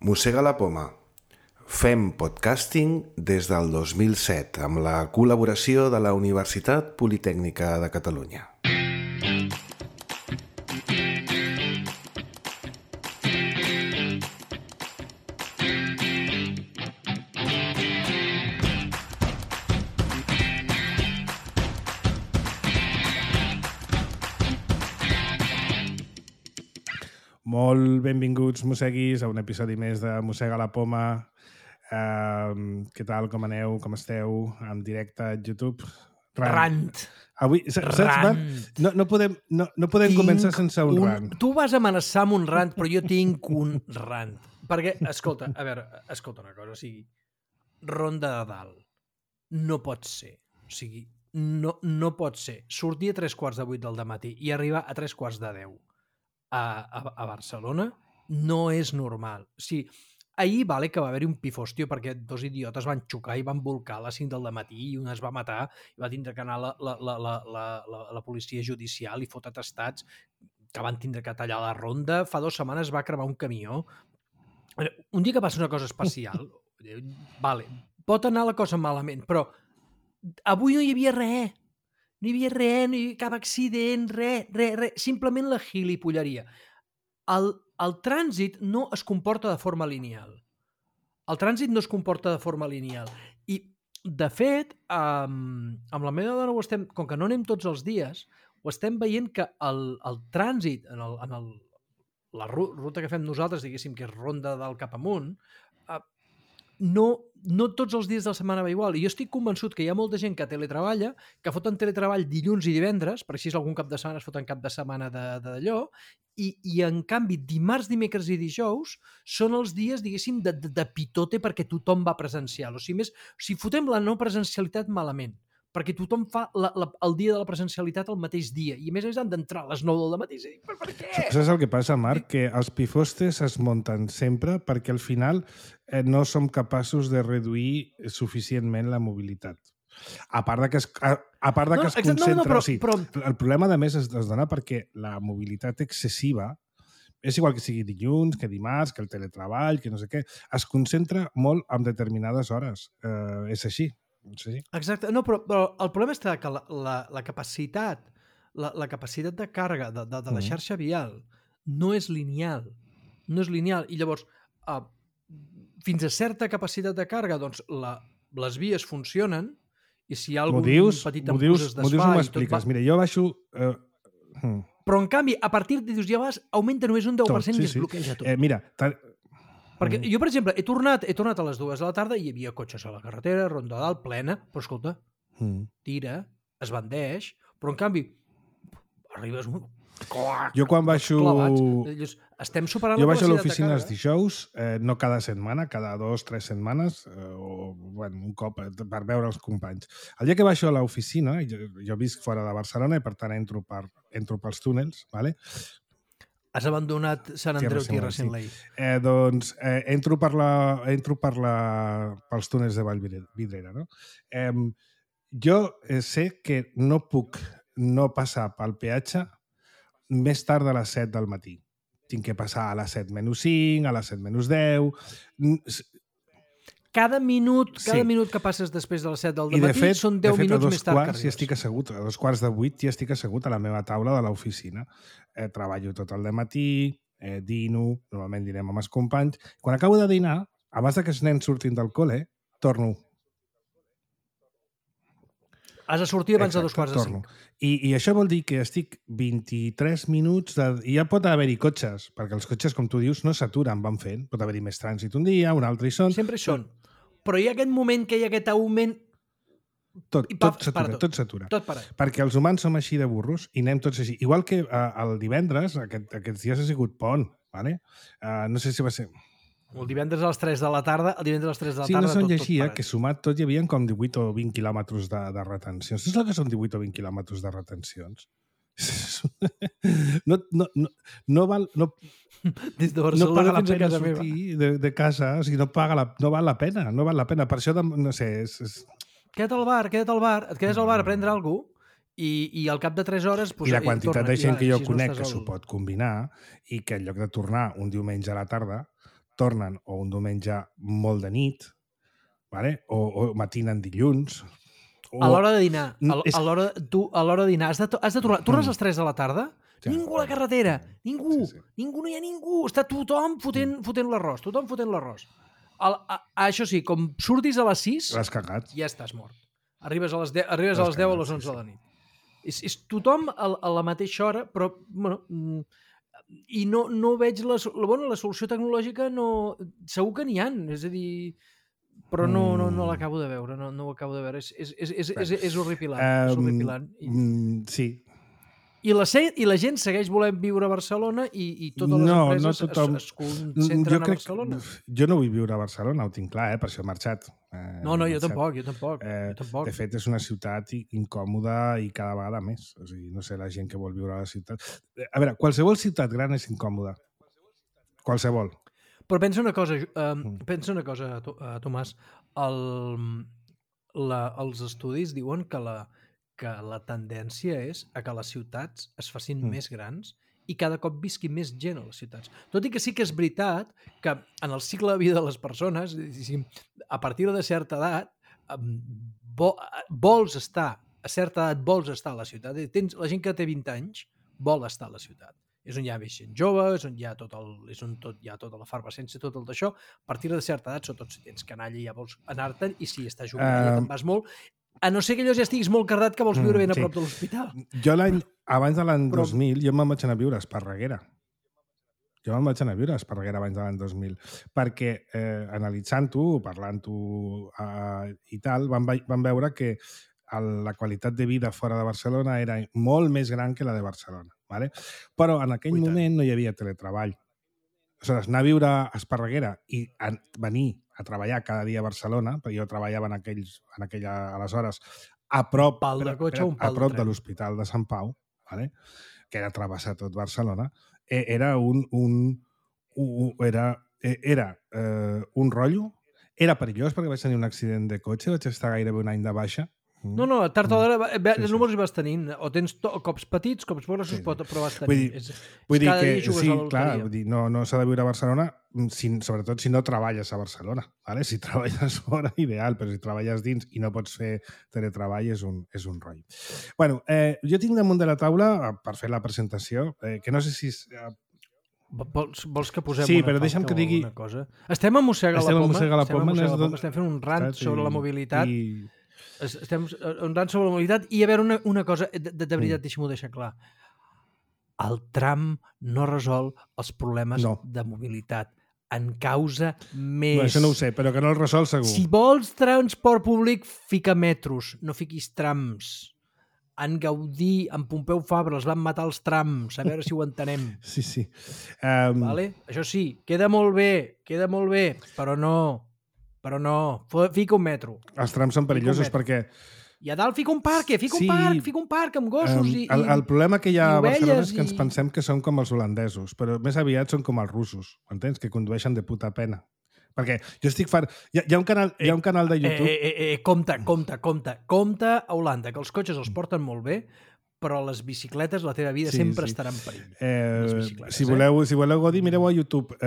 Mossega la poma. Fem podcasting des del 2007 amb la col·laboració de la Universitat Politècnica de Catalunya. Molt benvinguts, mosseguis, a un episodi més de Mossega la poma. Què tal, com aneu, com esteu? En directe a YouTube. Rant. Avui, saps, no podem començar sense un rant. Tu vas amenaçar amb un rant, però jo tinc un rant. Perquè, escolta, a veure, escolta una cosa, o sigui, Ronda de Dalt no pot ser. O sigui, no pot ser. Sortir a 7:45 del dematí i arribar a 9:45 a Barcelona no és normal. O sigui, ahir vale que va haver-hi un pifòstio perquè dos idiotes van xocar i van volcar a les 5 del matí i un es va matar i va tindre que anar la policia judicial i fot atestats que van tindre que tallar la ronda. Fa 2 setmanes va cremar un camió. Un dia que passa una cosa especial, vale, pot anar la cosa malament, però avui no hi havia res. No hi havia res, no hi havia cap accident, res. Simplement la gilipolleria. El trànsit no es comporta de forma lineal. El trànsit no es comporta de forma lineal. I, de fet, amb la meva dona ho estem, com que no anem tots els dies, ho estem veient que el trànsit en la ruta que fem nosaltres, diguéssim que és Ronda del cap amunt, no tots els dies de la setmana va igual. I jo estic convençut que hi ha molta gent que teletreballa, que foten teletreball dilluns i divendres, per així algun cap de setmana es foten cap de setmana d'allò, i en canvi dimarts, dimecres i dijous són els dies, diguéssim, de pitote perquè tothom va presencial. O sigui, fotem la no presencialitat malament, perquè tothom fa el dia de la presencialitat el mateix dia, i a més han d'entrar a les 9 del matí. Per què? Saps el que passa, Marc? Que els pifostes es munten sempre perquè al final no som capaços de reduir suficientment la mobilitat. A part que es concentra... Però... El problema, a més, es dona perquè la mobilitat excessiva, és igual que sigui dilluns, que dimarts, que el teletreball, que no sé què, es concentra molt en determinades hores. És així. Sí. Exacte. No, però el problema està que la capacitat de càrrega de la xarxa vial no és lineal. No és lineal. I llavors, fins a certa capacitat de càrrega, doncs les vies funcionen i si hi ha algun petit embús es desfà... M'ho expliques. Mira, jo baixo... Però, en canvi, a partir de ja vas, augmenta només un 10% i es bloqueja tot. Mira... Perquè jo, per exemple, he tornat a les 2 de la tarda i hi havia cotxes a la carretera, Ronda de Dalt, plena, però escolta, tira, es bandeix, però en canvi arribes... Jo quan baixo... Estem superant jo baixo a l'oficina els dijous, no cada setmana, cada 2 o 3 setmanes, o bueno, un cop per veure els companys. El dia que baixo a l'oficina, jo visc fora de Barcelona i per tant entro pels túnels, ¿vale? Has abandonat Sant Andreu Tierra Sin Ley. Doncs entro pels túnels de Vallvidrera. No? Jo sé que no puc no passar pel peatge més tard de les 7 del matí. Tinc que passar a les 7:05, a les 7:10... Cada minut que passes després de les 7 del matí fet, són 10 minuts més tard que arribes. Ja estic assegut, a 7:15 ja estic assegut a la meva taula de l'oficina. Treballo tot el dematí, dino, normalment dinem amb els companys. Quan acabo de dinar, abans que els nens surtin del col·le, torno. Has de sortir abans de 4:45. I això vol dir que estic 23 minuts... I ja pot haver-hi cotxes, perquè els cotxes, com tu dius, no s'aturen, van fent. Pot haver-hi més trànsit un dia, un altre hi són. Sempre hi són. Però hi ha aquest moment que hi ha aquest augment... Tot s'atura. Tot para. Perquè els humans som així de burros i anem tots així. Igual que el divendres, aquests dies ha sigut pont, ¿vale? No sé si va ser... El divendres a les 3 de la tarda, Sí, no se'n llegia que sumat tot hi havia com 18 o 20 quilòmetres de retencions. Saps el que són 18 o 20 quilòmetres de retencions? No val... Des de Barcelona fins a casa meva. De casa, o sigui, no val la pena. Per això, no sé... Queda't al bar, et quedes al bar a prendre alguna cosa i al cap de 3 hores... I la quantitat de gent que jo conec que s'ho pot combinar i que en lloc de tornar un diumenge a la tarda tornen o un diumenge molt de nit, vale? o matinen dilluns. A l'hora de dinar, a l'hora de dinar, has de tornar. Tornes a les 3 de la tarda? Ja. Ningú a la carretera, ningú, Sí. ningú, no hi ha ningú. Està tothom fotent l'arròs, Això sí, com surtis a les 6, L'has cagat. ja estàs mort. Arribes a les 10 o a les 11 de la nit. És tothom a la mateixa hora, però, bueno, i no veig la solució tecnològica, segur que n'hi ha, és a dir, però no l'acabo de veure, no ho acabo de veure, és horripilant, és horripilant. Sí. I la gent segueix volent viure a Barcelona i totes les empreses es concentren a Barcelona. Jo no vull viure a Barcelona, ho tinc clar, per això he marxat. No, jo tampoc. De fet, és una ciutat incòmoda i cada vegada més. O sigui, no sé, la gent que vol viure a la ciutat... A veure, qualsevol ciutat gran és incòmoda. Qualsevol. Però pensa una cosa, Tomàs. Els estudis diuen que la tendència és a que les ciutats es facin més grans i cada cop visqui més gent a les ciutats. Tot i que sí que és veritat que en el cicle de vida de les persones, a partir de certa edat, vols estar a la ciutat. La gent que té 20 anys vol estar a la ciutat. És on hi ha més gent jove, és on hi ha tota la efervescència, tot el d'això. A partir de certa edat, sobretot si tens canalla, ja vols anar-te'n, i si estàs jubilat ja te'n vas molt. A no ser que allò ja estiguis molt cardat que vols viure ben a prop de l'hospital. Jo abans de l'any 2000, jo me'n vaig anar a viure a Esparreguera. Abans de l'any 2000. Perquè analitzant-ho, parlant-ho i tal, vam veure que la qualitat de vida fora de Barcelona era molt més gran que la de Barcelona. Vale? Però en aquell moment no hi havia teletreball. Aleshores, anar a viure a Esparreguera i venir a treballar cada dia a Barcelona, perquè jo treballava aleshores a prop de l'Hospital de Sant Pau, vale? Que era travessar tot Barcelona, era un rotllo, era perillós perquè vaig tenir un accident de cotxe, vaig estar gairebé un any de baixa. No, tard o d'hora números hi vas tenint. O tens cops petits, cops grossos, però vas tenint. Vull dir que sí, clar, no s'ha de viure a Barcelona, sobretot si no treballes a Barcelona. Vale? Si treballes fora, ideal, però si treballes dins i no pots fer teletreball és un rotllo. Bueno, jo tinc damunt de la taula, per fer la presentació, que no sé si... Vols que posem una pauta o alguna cosa? Estem a mossegar la poma, estem fent un rant sobre la mobilitat. Estem rant sobre la mobilitat i a veure una cosa, de veritat, deixa'm-ho deixar clar. El tram no resol els problemes de mobilitat. En causa més... No, això no ho sé, però que no el resol segur. Si vols transport públic, fica metros, no fiquis trams. En Gaudí, en Pompeu Fabra, els van matar els trams, a veure si ho entenem. Sí. Vale? Això sí, queda molt bé, però no, fica un metro. Els trams són perillosos perquè... I a dalt fica un parc amb gossos i el problema que hi ha a Barcelona és que ens pensem que són com els holandesos, però més aviat són com els russos, entens? Que condueixen de puta pena. Perquè jo estic fart... Hi ha un canal de YouTube... Compte a Holanda, que els cotxes els porten molt bé, però les bicicletes, la teva vida sempre estarà en perill. Si voleu gaudir, mireu a YouTube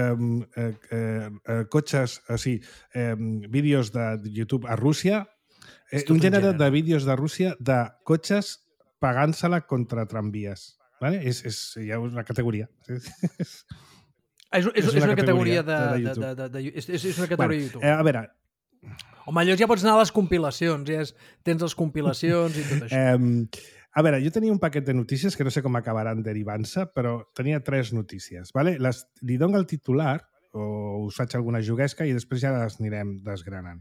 cotxes, vídeos de YouTube a Rússia, un gènere de vídeos de Rússia de cotxes pagant-se-la contra tramvies. Vale? Hi ha una categoria. És una categoria de YouTube. És una categoria de YouTube. A veure... Home, llavors ja pots anar a les compilacions, tens les compilacions i tot això. A veure, jo tenia un paquet de notícies que no sé com acabaran derivant-se, però tenia 3 notícies. Vale? Li dono el titular, o us faig alguna juguesca, i després ja les anirem desgranant.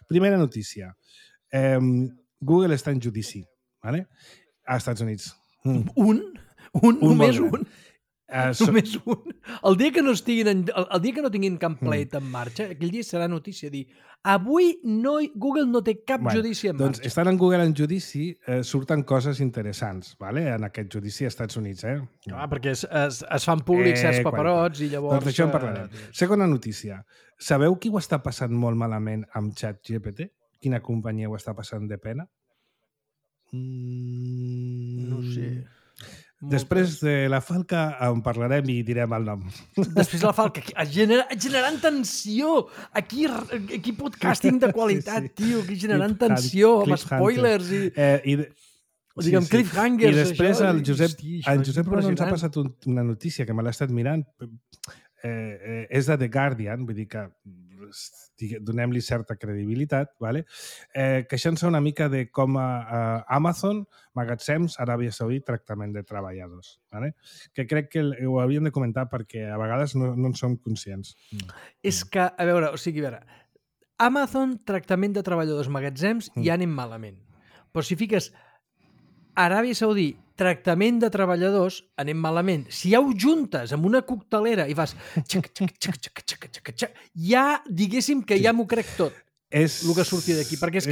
Primera notícia. Google està en judici, vale? A Estats Units. Només un? Només un. El dia que no tinguin cap pleit en marxa, aquell dia serà notícia dir avui Google no té cap judici en marxa. Doncs estan en Google en judici, surten coses interessants, vale? En aquest judici als Estats Units. Perquè es fan públics certs paperots i llavors... Doncs d'això en parlarem. Segona notícia. Sabeu qui ho està passant molt malament amb ChatGPT? Quina companyia ho està passant de pena? No sé. Després de la falca en parlarem i direm el nom. Després de la falca, generant tensió. Aquí podcasting de qualitat, tio, aquí generant tensió, amb spoilers i diguem cliffhangers. I després el Josep Bruno ens ha passat una notícia que me l'ha estat mirant. És de The Guardian, vull dir que donem-li certa credibilitat, vale? Queixant-se una mica de com Amazon, magatzems, Aràbia Saudita, tractament de treballadors. Vale? Que crec que ho hauríem de comentar perquè a vegades no en som conscients. És que, a veure, Amazon, tractament de treballadors, magatzems, ja anem malament. Però si fiques Aràbia Saudita, tractament de treballadors, anem malament. Si ja ho juntes amb una coctelera i fas ja, diguéssim que ja m'ho crec tot, el que surti d'aquí. Perquè és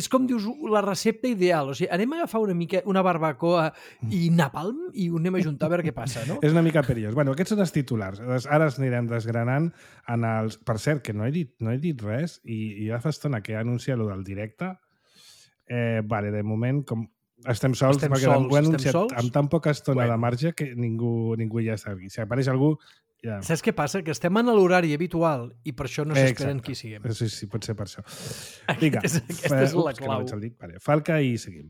com dius, la recepta ideal. O sigui, anem a agafar una barbacoa i napalm i ho anem a juntar a veure què passa, no? És una mica perillós. Bueno, aquests són els titulars. Ara els anirem desgranant en els... Per cert, que no he dit res i ja fa estona que he anunciat el del directe. Vale, de moment, com estem sols, perquè ho he anunciat amb tan poca estona de marge que ningú ja sap. Si apareix algú... Ja. Saps què passa? Que estem en l'horari habitual i per això no s'esperen qui siguem. Sí, pot ser per això. Vinga, aquesta és la clau. Vale, falca i seguim.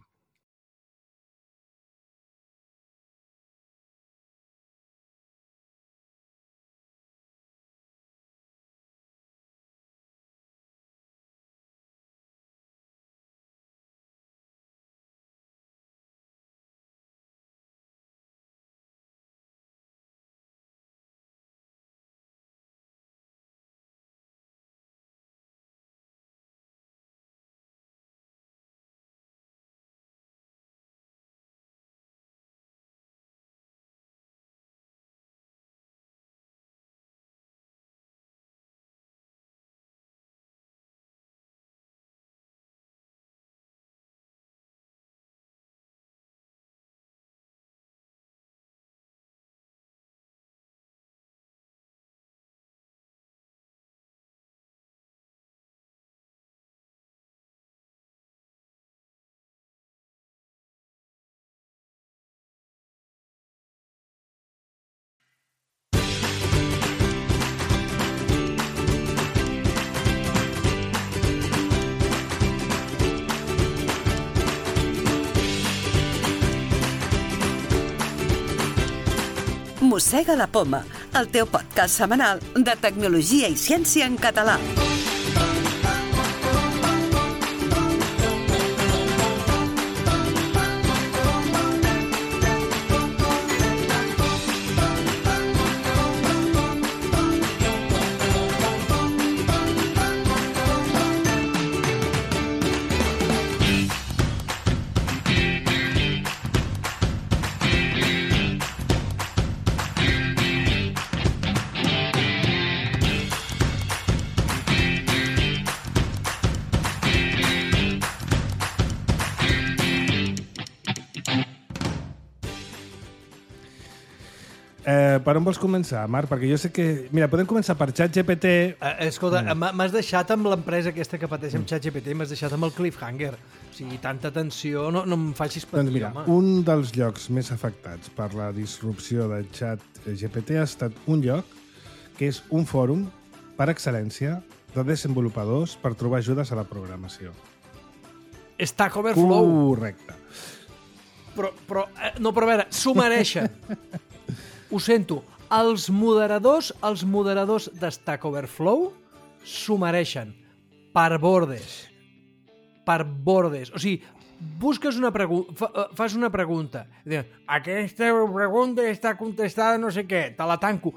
Mossega la Poma, el teu podcast setmanal de tecnologia i ciència en català. Per on vols començar, Marc? Perquè jo sé que... Mira, podem començar per ChatGPT. Escolta, m'has deixat amb l'empresa aquesta que pateix amb ChatGPT, m'has deixat amb el cliffhanger. O sigui, tanta tensió, no em facis patir, doncs mira, un dels llocs més afectats per la disrupció de ChatGPT ha estat un lloc que és un fòrum per excel·lència de desenvolupadors per trobar ajudes a la programació. Stack Overflow. Correcte. Però a veure, s'ho mereixen. Ho sento, els moderadors de Stack Overflow s'ho mereixen. Per bordes. O sigui, busques una pregunta, fas una pregunta. Aquesta pregunta està contestada no sé què, te la tanco.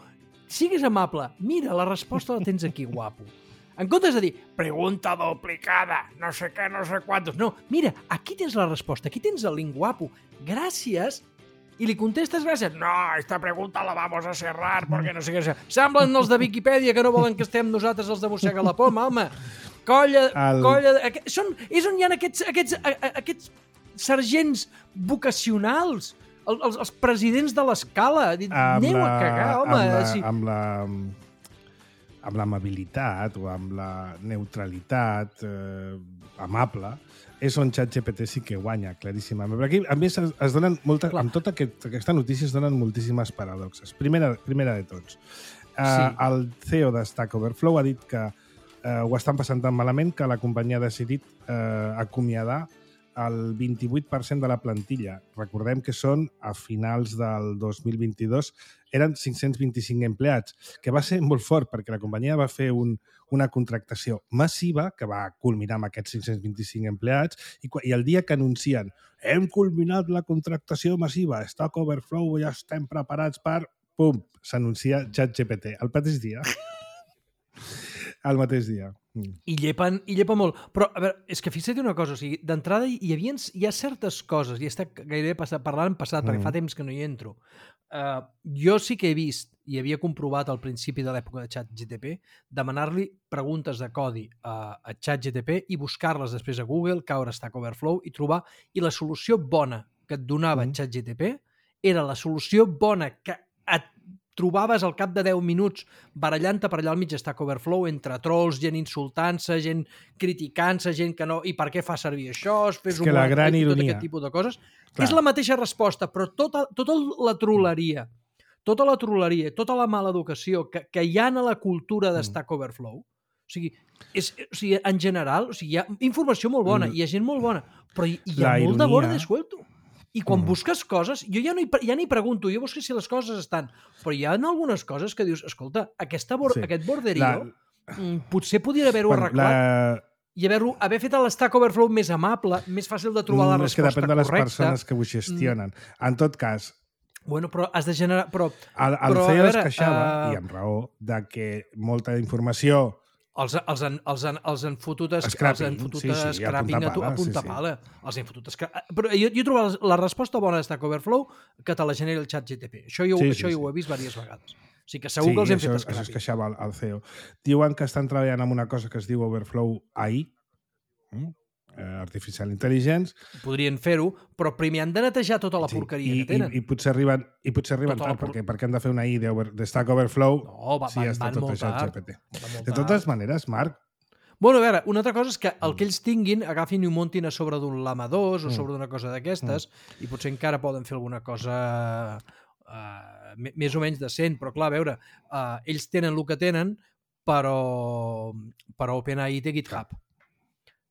Sigues amable, mira, la resposta la tens aquí, guapo. En comptes de dir, pregunta duplicada, no sé què, no sé quantos. No, mira, aquí tens la resposta, aquí tens el link, guapo. Gràcies. I li contestes gràcies. No, esta pregunta la vamos a cerrar perquè no sé què. Semblen els de Viquipèdia que no volen que estem nosaltres els de Mossega la Poma, home. Colla... És on hi ha aquests sergents vocacionals, els presidents de l'escala. Aneu a cagar, home. amb l'amabilitat o amb la neutralitat amable, és on ChatGPT sí que guanya, claríssimament. Però aquí, a més, es donen amb tota aquesta notícia es donen moltíssimes paradoxes. Primera de tots. El CEO de Stack Overflow ha dit que ho estan passant tan malament que la companyia ha decidit acomiadar el 28% de la plantilla. Recordem que són, a finals del 2022, eren 525 empleats, que va ser molt fort perquè la companyia va fer una contractació massiva que va culminar amb aquests 525 empleats i el dia que anuncien hem culminat la contractació massiva, Stack Overflow, ja estem preparats per... Pum! S'anuncia ChatGPT el mateix dia. El mateix dia. I llepa molt. Però, a veure, és que fixa't una cosa, o sigui, d'entrada hi ha certes coses, i està gairebé parlant en passat, perquè fa temps que no hi entro. Jo sí que he vist, i havia comprovat al principi de l'època de ChatGPT, demanar-li preguntes de codi a ChatGPT i buscar-les després a Google, caure a Stack Overflow i trobar... I la solució bona que et donava ChatGPT era la solució bona que et trobaves al cap de 10 minuts barallant-te per allà al mig Stack Overflow entre trolls, gent insultant-se, gent criticant-se, gent que no... I per què fa servir això? És que la gran ironia... Tot aquest tipus de coses. Clar. És la mateixa resposta, però tota la trolleria, tota la mala educació que hi ha a la cultura de Stack Overflow, o sigui, en general, hi ha informació molt bona, hi ha gent molt bona, però hi ha molt de borde suelto. I quan busques coses, jo ja ni pregunto, jo busco si les coses estan, però hi ha algunes coses que dius, escolta, aquest borderío potser podria haver-ho arreglat i haver fet l'Stack Overflow més amable, més fàcil de trobar la resposta correcta. És que depèn de les persones que ho gestionen. En tot cas... Bueno, però has de generar... El CEO es queixava, i amb raó, de que molta informació... Els han fotut scrapping a punta pala. Els han fotut scrapping. Però jo he trobat la resposta bona de Stack Overflow que te la genera el ChatGPT. Això jo ho he vist diverses vegades. O sigui que segur que els hem fet scrapping. Això es queixava el CEO. Diuen que estan treballant en una cosa que es diu Overflow AI, Artificial Intelligence. Podrien fer-ho, però primer han de netejar tota la porqueria que tenen. I potser arriben tard, perquè han de fer una AI de Stack Overflow si ja està tot això al GPT. De totes maneres, Marc... Bueno, a veure, una altra cosa és que el que ells tinguin agafin i ho muntin a sobre d'un Llama 2 o sobre d'una cosa d'aquestes i potser encara poden fer alguna cosa més o menys decent, però clar, a veure, ells tenen el que tenen, però OpenAI té GitHub.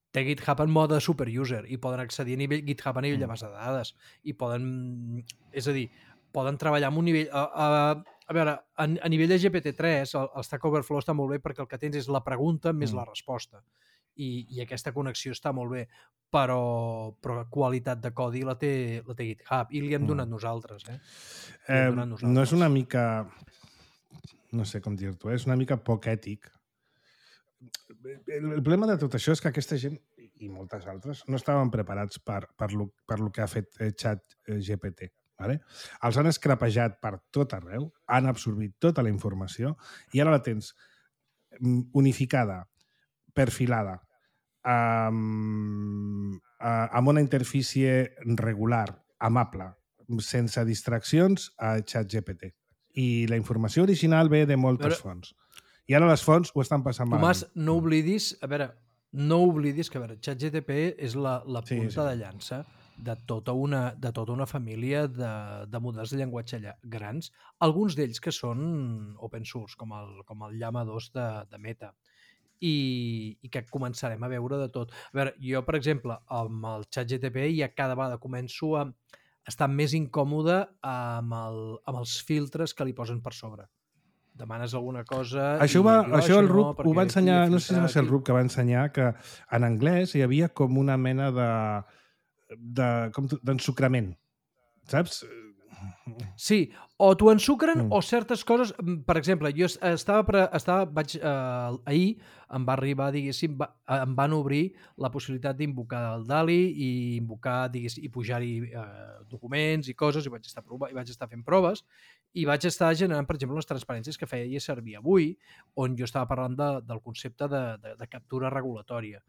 Té GitHub en mode superuser i poden accedir a GitHub a nivell de base de dades i poden, és a dir, poden treballar amb un nivell... A veure, a nivell de GPT-3 el Stack Overflow està molt bé perquè el que tens és la pregunta més la resposta i aquesta connexió està molt bé, però qualitat de codi la té GitHub i li hem donat nosaltres. No és una mica... No sé com dir-t'ho, és una mica poc ètic. El problema de tot això és que aquesta gent i moltes altres no estaven preparats per lo que ha fet ChatGPT. Vale? Els han escrapejat per tot arreu, han absorbit tota la informació i ara la tens unificada, perfilada, amb una interfície regular, amable, sense distraccions a ChatGPT. I la informació original ve de moltes fonts. I ara les fonts ho estan passant malament. Tomàs, no oblidis que ChatGPT és la punta de llança de tota una família de models de llenguatge grans, alguns d'ells que són open source, com el Llama 2 de Meta, i que començarem a veure de tot. A veure, jo, per exemple, amb el ChatGPT ja cada vegada començo a estar més incòmode amb els filtres que li posen per sobre. Demanes alguna cosa... Això el Rup ho va ensenyar, no sé si va ser el Rup que va ensenyar que en anglès hi havia com una mena d'ensucrament, saps? Sí, o t'ho ensucren o certes coses... Per exemple, jo ahir em va arribar, diguéssim, em van obrir la possibilitat d'invocar el DALI i invocar, diguéssim, i pujar-hi documents i coses, i vaig estar fent proves, i vaig estar generant, per exemple, les transparències que feia servir avui, on jo estava parlant del concepte de captura regulatòria,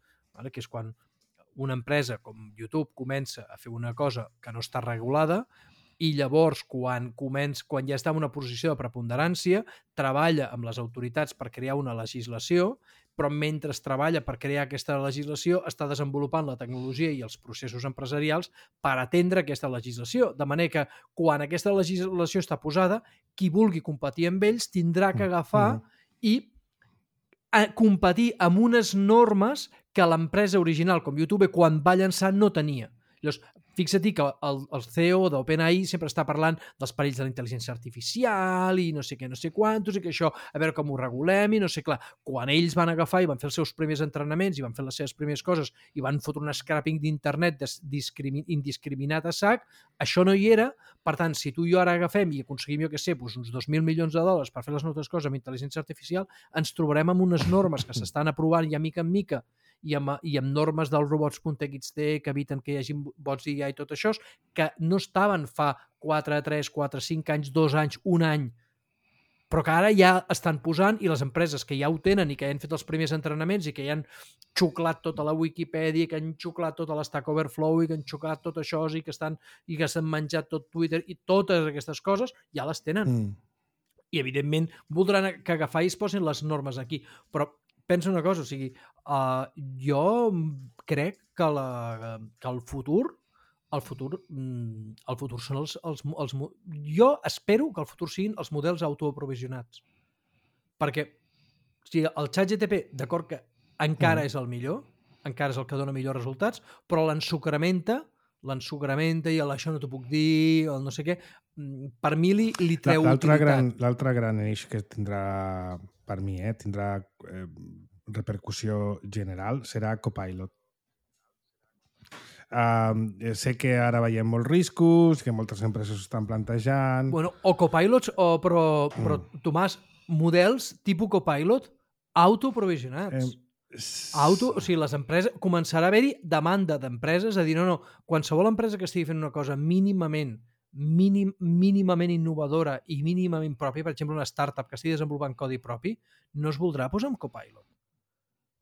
que és quan una empresa com YouTube comença a fer una cosa que no està regulada i llavors quan ja està en una posició de preponderància, treballa amb les autoritats per crear una legislació, però mentre treballa per crear aquesta legislació està desenvolupant la tecnologia i els processos empresarials per atendre aquesta legislació. De manera que quan aquesta legislació està posada, qui vulgui competir amb ells tindrà que agafar i competir amb unes normes que l'empresa original, com YouTube, quan va llançar no tenia. Llavors, fixa't que el CEO d'OpenAI sempre està parlant dels perills de la intel·ligència artificial i no sé què, no sé quantos, i que això, a veure com ho regulem, i no sé, clar, quan ells van agafar i van fer els seus primers entrenaments i van fer les seves primeres coses i van fotre un scrapping d'internet indiscriminat a sac, això no hi era. Per tant, si tu i jo ara agafem i aconseguim, jo què sé, uns 2.000 milions de dòlars per fer les nostres coses amb intel·ligència artificial, ens trobarem amb unes normes que s'estan aprovant ja mica en mica i amb normes del robots.txt que eviten que hi hagi bots d'IA i tot això, que no estaven fa 4, 3, 4, 5 anys, 2 anys, 1 any, però que ara ja estan posant, i les empreses que ja ho tenen i que ja han fet els primers entrenaments i que ja han xuclat tota la Wikipedia, que han xuclat tota l'Stack Overflow i que han xuclat tot això i que s'han menjat tot Twitter i totes aquestes coses, ja les tenen. I, evidentment, voldran que agafar i es posin les normes aquí. Però pensa una cosa, o sigui, jo crec que el futur són els... Jo espero que el futur siguin els models autoaprovisionats. Perquè el ChatGPT, d'acord que encara és el millor, encara és el que dona millors resultats, però l'ensucramenta i això no t'ho puc dir, o no sé què, per mi li treu utilitat. L'altre gran eix que tindrà, per mi, tindrà repercussió general, serà Copilot. Sé que ara veiem molts riscos, que moltes empreses estan plantejant... Bueno, o Copilots, però Tomàs, models tipus Copilot autoprovisionats. O sigui, les empreses... Començarà a haver-hi demanda d'empreses a dir, no, qualsevol empresa que estigui fent una cosa mínimament innovadora i mínimament pròpia, per exemple, una startup que estigui desenvolupant codi propi, no es voldrà posar amb Copilot.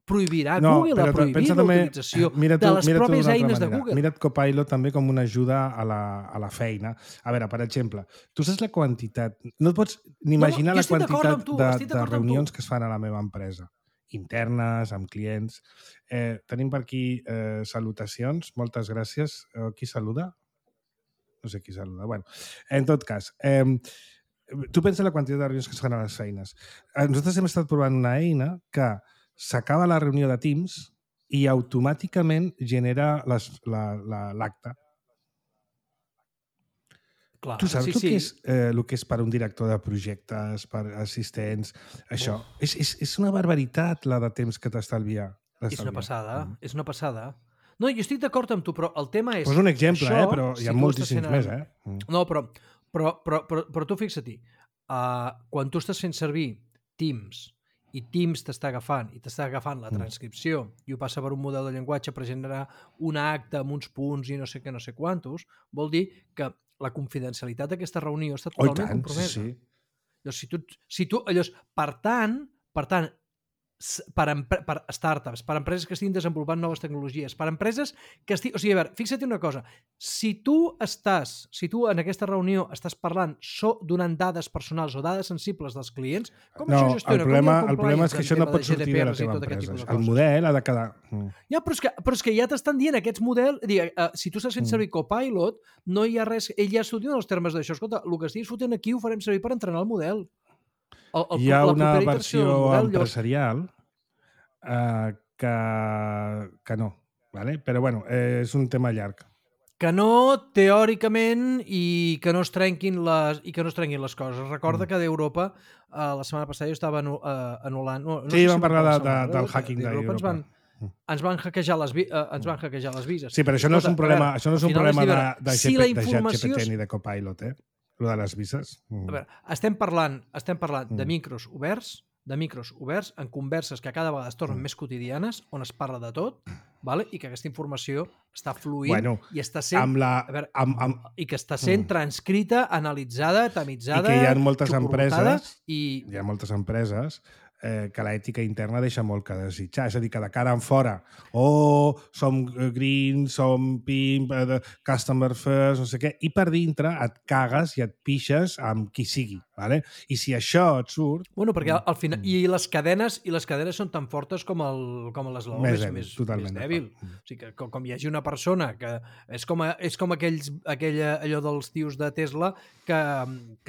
Prohibirà Google a prohibir l'utilització de les pròpies eines de Google. Mira't Copilot també com una ajuda a la feina. A veure, per exemple, tu saps la quantitat... No et pots ni imaginar la quantitat de reunions que es fan a la meva empresa. Internes, amb clients. Tenim per aquí salutacions. Moltes gràcies. Qui saluda? No sé qui saluda. Bueno, en tot cas... tu pensa la quantitat de reunions que es fan a les feines. Nosaltres hem estat provant una eina que s'acaba la reunió de Teams i automàticament genera l'acte. Tu saps el que és per un director de projectes, per assistents, això? És una barbaritat la de temps que t'estalvia. És una passada. No, jo estic d'acord amb tu, però el tema és... Poso un exemple, però hi ha moltíssims més, No, però tu fixa-t'hi, quan tu estàs fent servir Teams i Teams t'està agafant la transcripció i ho passa per un model de llenguatge per generar un acte amb uns punts i no sé què, no sé quantos, vol dir que la confidencialitat d'aquesta reunió està totalment compromesa. Per tant, per startups, per empreses que estiguin desenvolupant noves tecnologies, per empreses que estiguin... O sigui, a veure, fixa't una cosa. Si tu en aquesta reunió estàs parlant donant dades personals o dades sensibles dels clients, com això gestiona? El problema és que això no pot sortir de la teva empresa. El model ha de quedar... Ja, però és que ja t'estan dient aquests models... Si tu estàs fent servir Copilot, no hi ha res... Ell ja estudia els termes d'això. Escolta, el que estiguis fotent aquí ho farem servir per entrenar el model. Hi ha una versió empresarial que no, ¿vale? Però bueno, és un tema llarg. Que no, teòricament, i que no es trenquin les coses. Recorda que d'Europa, la setmana passada jo estava anul·lant... Sí, vam parlar del hacking d'Europa. Ens van hackejar les vises. Sí, però això no és un problema, de ChatGPT ni de Copilot, Lo de les vises. A veure, estem parlant de micros oberts, en converses que cada vegada es tornen més quotidianes, on es parla de tot, vale? I que aquesta informació està fluint i està sent, i que està sent transcrita, analitzada, tamitzada, i que hi ha moltes empreses que l'ètica interna deixa molt que desitjar. És a dir, que de cara en fora, som green, som pimp, customer first, no sé què, i per dintre et cagues i et pixes amb qui sigui, ¿vale? I si això et surt... Bueno, perquè al final... I les cadenes són tan fortes com l'eslabó més dèbil. O sigui, que com hi hagi una persona que... És com allò dels tios de Tesla que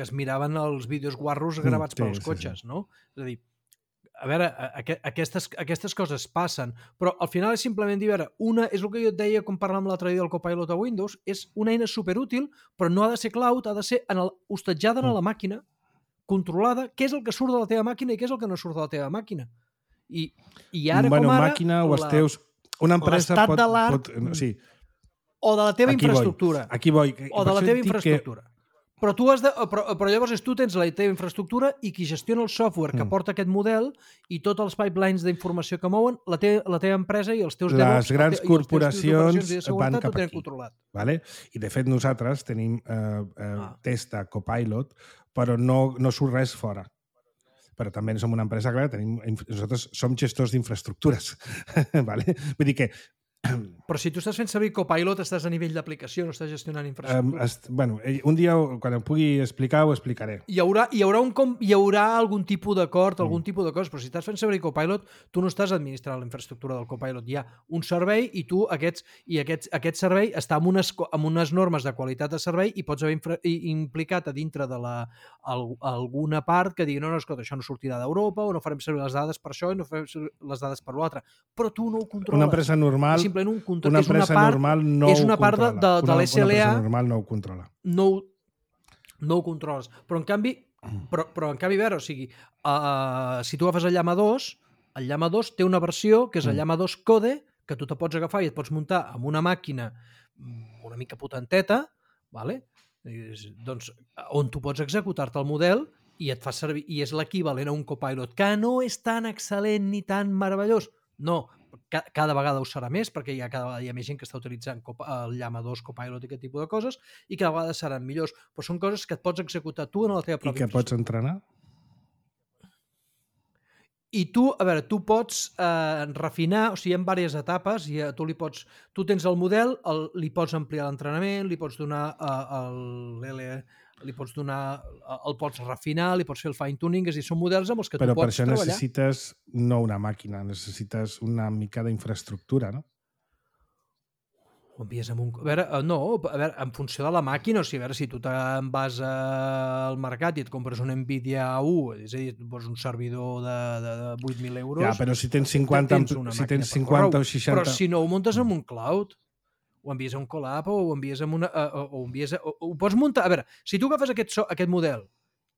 es miraven els vídeos guarros gravats pels cotxes, no? És a dir, a veure, aquestes coses passen, però al final és simplement dir, a veure, una és el que jo et deia quan parlàvem l'altre dia del Copilot a Windows, és una eina superútil, però no ha de ser cloud, ha de ser hostatjada a la màquina, controlada, què és el que surt de la teva màquina i què és el que no surt de la teva màquina. I ara com ara... màquina o els teus... Una empresa l'estat de l'art... Sí. O de la teva infraestructura. Aquí vull. O de la teva infraestructura. Però llavors tu tens la teva infraestructura i qui gestiona el software que porta aquest model i tots els pipelines d'informació que mouen, la teva empresa i els teus DevOps, les grans corporacions van cap aquí. Vale? I de fet nosaltres tenim test de Copilot, però no surt res fora. Però també som una empresa, clar, nosaltres som gestors d'infraestructures. Vale? Vull dir que Però si tu estàs fent servir Copilot, estàs a nivell d'aplicació, no estàs gestionant infraestructures. Un dia, quan em pugui explicar, ho explicaré. Hi haurà algun tipus d'acord, algun tipus de coses, però si estàs fent servir Copilot, tu no estàs administrant la infraestructura del Copilot. Hi ha un servei i tu aquest servei està amb unes normes de qualitat de servei i pots haver implicat a dintre de alguna part que digui, no, escolta, això no sortirà d'Europa o no farem servir les dades per això i no farem servir les dades per l'altre. Però tu no ho controles. Una empresa normal una empresa normal no ho controla. És una part de l'SLA. Una empresa normal no ho controla. No ho controles. Però en canvi, a veure, o sigui, si tu agafes el Llama 2, el Llama 2 té una versió que és el Llama 2 Code, que tu te pots agafar i et pots muntar amb una màquina una mica potenteta, vale? Doncs, on tu pots executar-te el model i et fa servir, i és l'equivalent a un Copilot, que no és tan excel·lent ni tan meravellós. No, cada vegada ho serà més, perquè cada vegada hi ha més gent que està utilitzant el Llama 2, Copilot i aquest tipus de coses, i cada vegada seran millors. Però són coses que et pots executar tu en la teva pròpia I que pots entrenar? I tu, a veure, tu pots refinar, o sigui, hi ha diverses etapes, i tu tens el model, li pots ampliar l'entrenament, li pots donar el pots refinar, li pots fer el fine-tuning, és a dir, són models amb els que tu pots treballar. Però per això necessites no una màquina, necessites una mica d'infraestructura, no? Ho envies amb un... A veure, en funció de la màquina, o sigui, a veure, si tu te'n vas al mercat i et compres un Nvidia A1, és a dir, et poses un servidor de 8.000 euros... Ja, però si tens 50 o 60... Però si no ho muntes en un cloud, ho envies a un collab o ho envies amb una... ho pots muntar... A veure, si tu agafes aquest model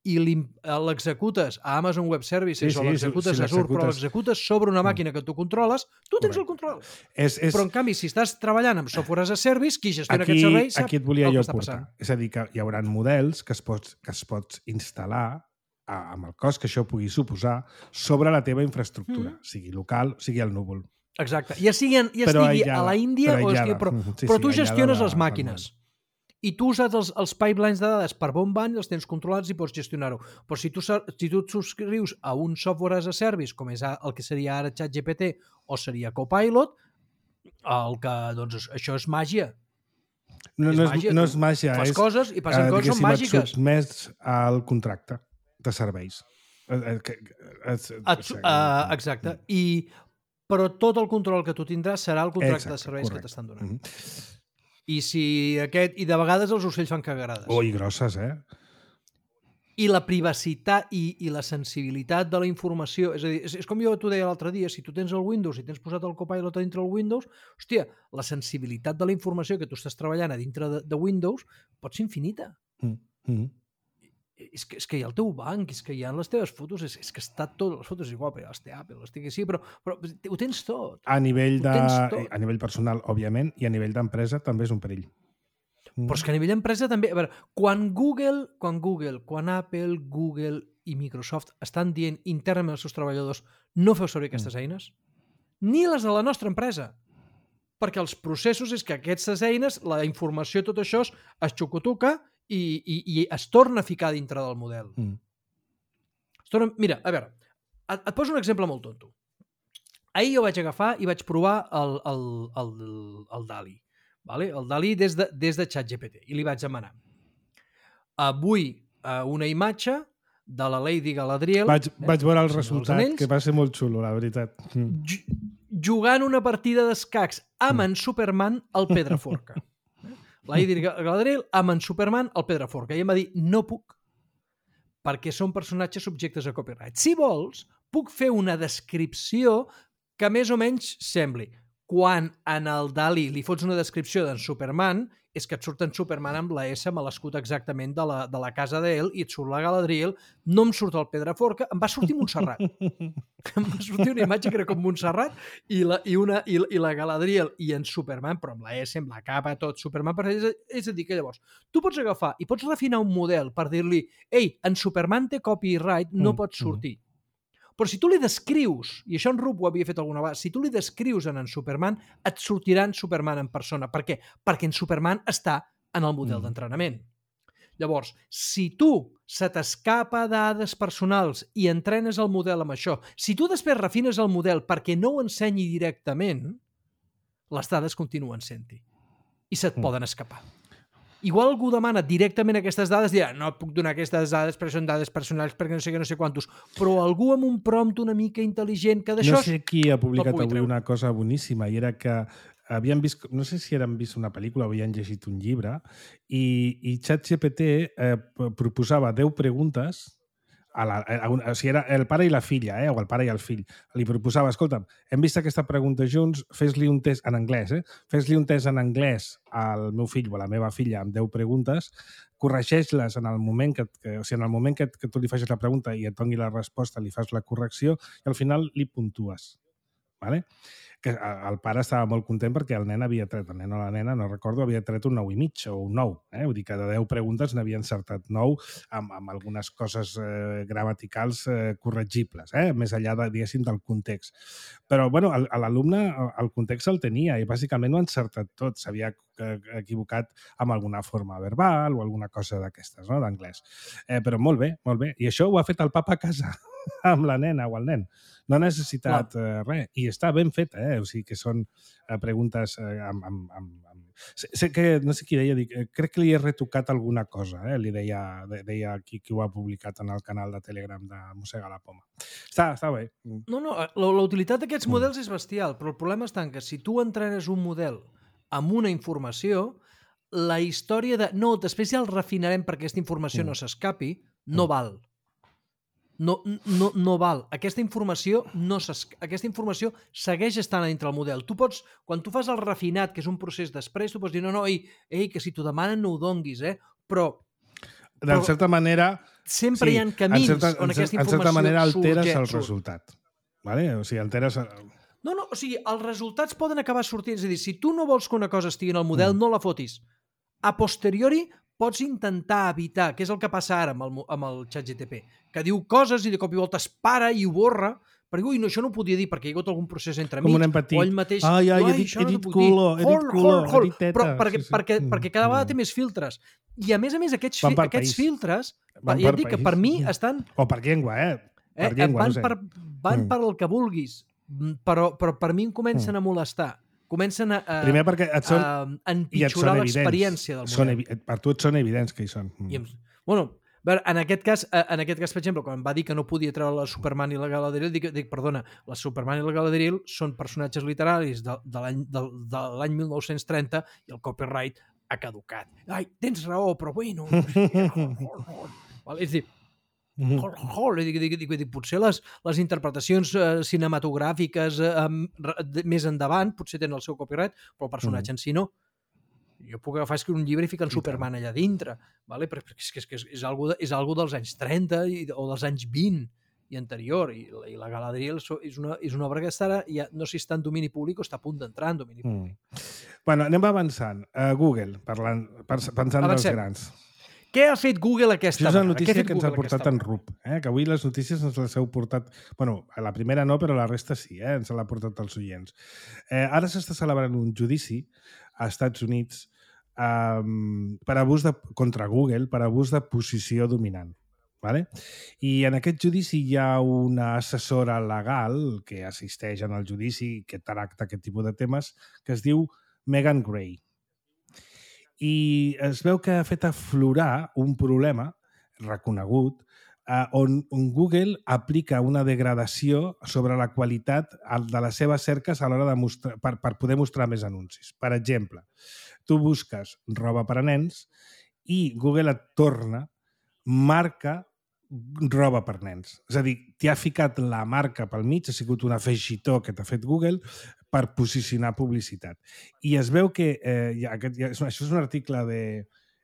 i l'executes a Amazon Web Services o l'executes a Azure, però l'executes sobre una màquina que tu controles, tu tens el control. Però, en canvi, si estàs treballant amb software as a service, qui gestiona aquest servei sap aquí et volia el jo que està portar. passant. És a dir, que hi haurà models que es pots instal·lar amb el cost que això pugui suposar sobre la teva infraestructura, sigui local, sigui al núvol. Exacte. Ja estigui a la Índia, però tu gestiones les màquines. I tu usas els pipelines de dades per on van, els tens controlats i pots gestionar-ho. Però si tu et subscrius a un software as a service, com és el que seria ara ChatGPT o seria Copilot, doncs això és màgia. No és màgia. Fas coses i passen coses són màgiques. Et sotmets al contracte de serveis. Exacte. Però tot el control que tu tindràs serà el contracte de serveis que t'estan donant. I de vegades els ocells fan cagarades. I grosses, I la privacitat i la sensibilitat de la informació, és a dir, és com jo t'ho deia l'altre dia, si tu tens el Windows i tens posat el Copilot a dintre del Windows, hòstia, la sensibilitat de la informació que tu estàs treballant a dintre de Windows pot ser infinita. És que hi ha el teu banc, és que hi ha les teves fotos, és que està tot, les fotos igual, però ja les té Apple, les té sí, però ho tens tot. A nivell personal, òbviament, i a nivell d'empresa també és un perill. Però és que a nivell d'empresa també... A veure, quan Apple, Google i Microsoft estan dient internament als seus treballadors no feu servir aquestes eines, ni les de la nostra empresa, perquè els processos és que aquestes eines, la informació, tot això es xocotuca i es torna a ficar dintre del model. Mira, a veure, Et poso un exemple molt tonto. Ahir jo vaig agafar i vaig provar el DALI. Vale? El DALI des de ChatGPT. I li vaig demanar. Vull una imatge de la Lady Galadriel... Vaig veure el resultat, que va ser molt xulo, la veritat. Jugant una partida d'escacs amb en Superman al Pedraforca. Lady Galadriel amb en Superman al Pedraforca. I em va dir, no puc, perquè són personatges subjectes a copyright. Si vols, puc fer una descripció que més o menys sembli. Quan en el DALI li fots una descripció d'en Superman, és que et surt en Superman amb la S, amb l'escut exactament de la casa d'ell, i et surt la Galadriel, no em surt el Pedraforca, em va sortir Montserrat. Em va sortir una imatge que era com Montserrat, i la Galadriel i en Superman, però amb la S, amb la capa, tot, Superman, és a dir, que llavors tu pots agafar i pots refinar un model per dir-li, ei, en Superman té copyright, no pot sortir. Però si tu li descrius, i això en Rup ho havia fet alguna vegada, si tu li descrius en Superman, et sortirà en Superman en persona. Per què? Perquè en Superman està en el model d'entrenament. Llavors, si tu se t'escapa dades personals i entrenes el model amb això, si tu després refines el model perquè no ho ensenyi directament, les dades continuen sent-hi. I se't poden escapar. Igual algú demana directament aquestes dades, dirà, no et puc donar aquestes dades perquè són dades personals, perquè no sé què, no sé quantos, però algú amb un prompt una mica intel·ligent que d'això... No sé qui ha publicat avui una cosa boníssima, i era que havien vist, no sé si havien vist una pel·lícula o havien llegit un llibre, i ChatGPT proposava 10 preguntes, o sigui, era el pare i la filla, o el pare i el fill. Li proposava, escolta'm, hem vist aquesta pregunta junts, fes-li un test en anglès, fes-li un test en anglès al meu fill o a la meva filla amb 10 preguntes, corregeix-les en el moment que tu li facis la pregunta i et doni la resposta, li fas la correcció i al final li puntues. Vale? Que el pare estava molt content perquè el nen havia tret, el nen o la nena, no recordo, havia tret un 9,5 o un 9. Vull dir que de 10 preguntes n'havia encertat 9 amb algunes coses gramaticals corregibles, més enllà, diguéssim, del context. Però, bueno, l'alumne el context el tenia i bàsicament ho ha encertat tot. S'havia equivocat amb alguna forma verbal o alguna cosa d'aquestes, no?, d'anglès. Però molt bé, molt bé. I això ho ha fet el papa a casa amb la nena o el nen. No ha necessitat res. I està ben fet, O sigui que són preguntes Sé que, no sé qui deia, crec que li he retocat alguna cosa, li deia qui ho ha publicat en el canal de Telegram de Mossega la Poma. Està bé. No, la utilitat d'aquests models és bestial, però el problema està en que si tu entrenes un model amb una informació, la història de no, després ja el refinarem perquè aquesta informació no s'escapi, no val. No val. Aquesta informació segueix estant dintre el model. Tu pots, quan tu fas el refinat, que és un procés després, tu pots dir, no, que si t'ho demanen no ho donguis, però... De certa manera... Sempre hi ha camins on aquesta informació en certa manera alteres el resultat. Vale? O sigui, alteres... No, o sigui, els resultats poden acabar sortint. És a dir, si tu no vols que una cosa estigui en el model, no la fotis. A posteriori, pots intentar evitar, que és el que passa ara amb el ChatGPT, que diu coses i de cop i volta es para i ho borra, perquè no, això no ho podia dir perquè hi ha hagut algun procés entremig. Com un nen petit. O ell mateix... he dit culo, he dit teta. Però perquè cada vegada té més filtres. I a més, aquests filtres, ja et dic que per mi estan... O per llengua, Per llengua, no sé. Van per el que vulguis, però per mi em comencen a molestar. Comencen a empitjorar l'experiència del model. Per tu et són evidents que hi són. Bueno, en aquest cas, per exemple, quan va dir que no podia treure la Superman i la Galadriel, dic, perdona, la Superman i la Galadriel són personatges literaris de l'any 1930 i el copyright ha caducat. Ai, tens raó, però bueno... És a dir, potser les interpretacions cinematogràfiques més endavant potser tenen el seu copyright, però el personatge en si no. Jo puc agafar un llibre i ficar en Superman allà dintre, perquè és algo dels anys 30 o dels anys 20 i anterior, i la Galadriel és una obra que està, ja no sé si està en domini públic o està a punt d'entrar en domini públic. Bueno, anem avançant. Google, pensant dels grans. Què ha fet Google aquesta vegada? Això és una notícia que ens ha portat en Rup, que avui les notícies ens les heu portat... Bueno, a la primera no, però la resta sí, ens l'ha portat els oients. Ara s'està celebrant un judici a Estats Units contra Google per abús de posició dominant. Vale? I en aquest judici hi ha una assessora legal que assisteix en el judici, que tracta aquest tipus de temes, que es diu Megan Gray. I es veu que ha fet aflorar un problema reconegut on Google aplica una degradació sobre la qualitat de les seves cerques a l'hora de mostrar, per poder mostrar més anuncis. Per exemple, tu busques roba per a nens i Google et torna marca roba per nens. És a dir, t'hi ha ficat la marca pel mig, ha sigut un afegitó que t'ha fet Google per posicionar publicitat. I es veu que això és un article de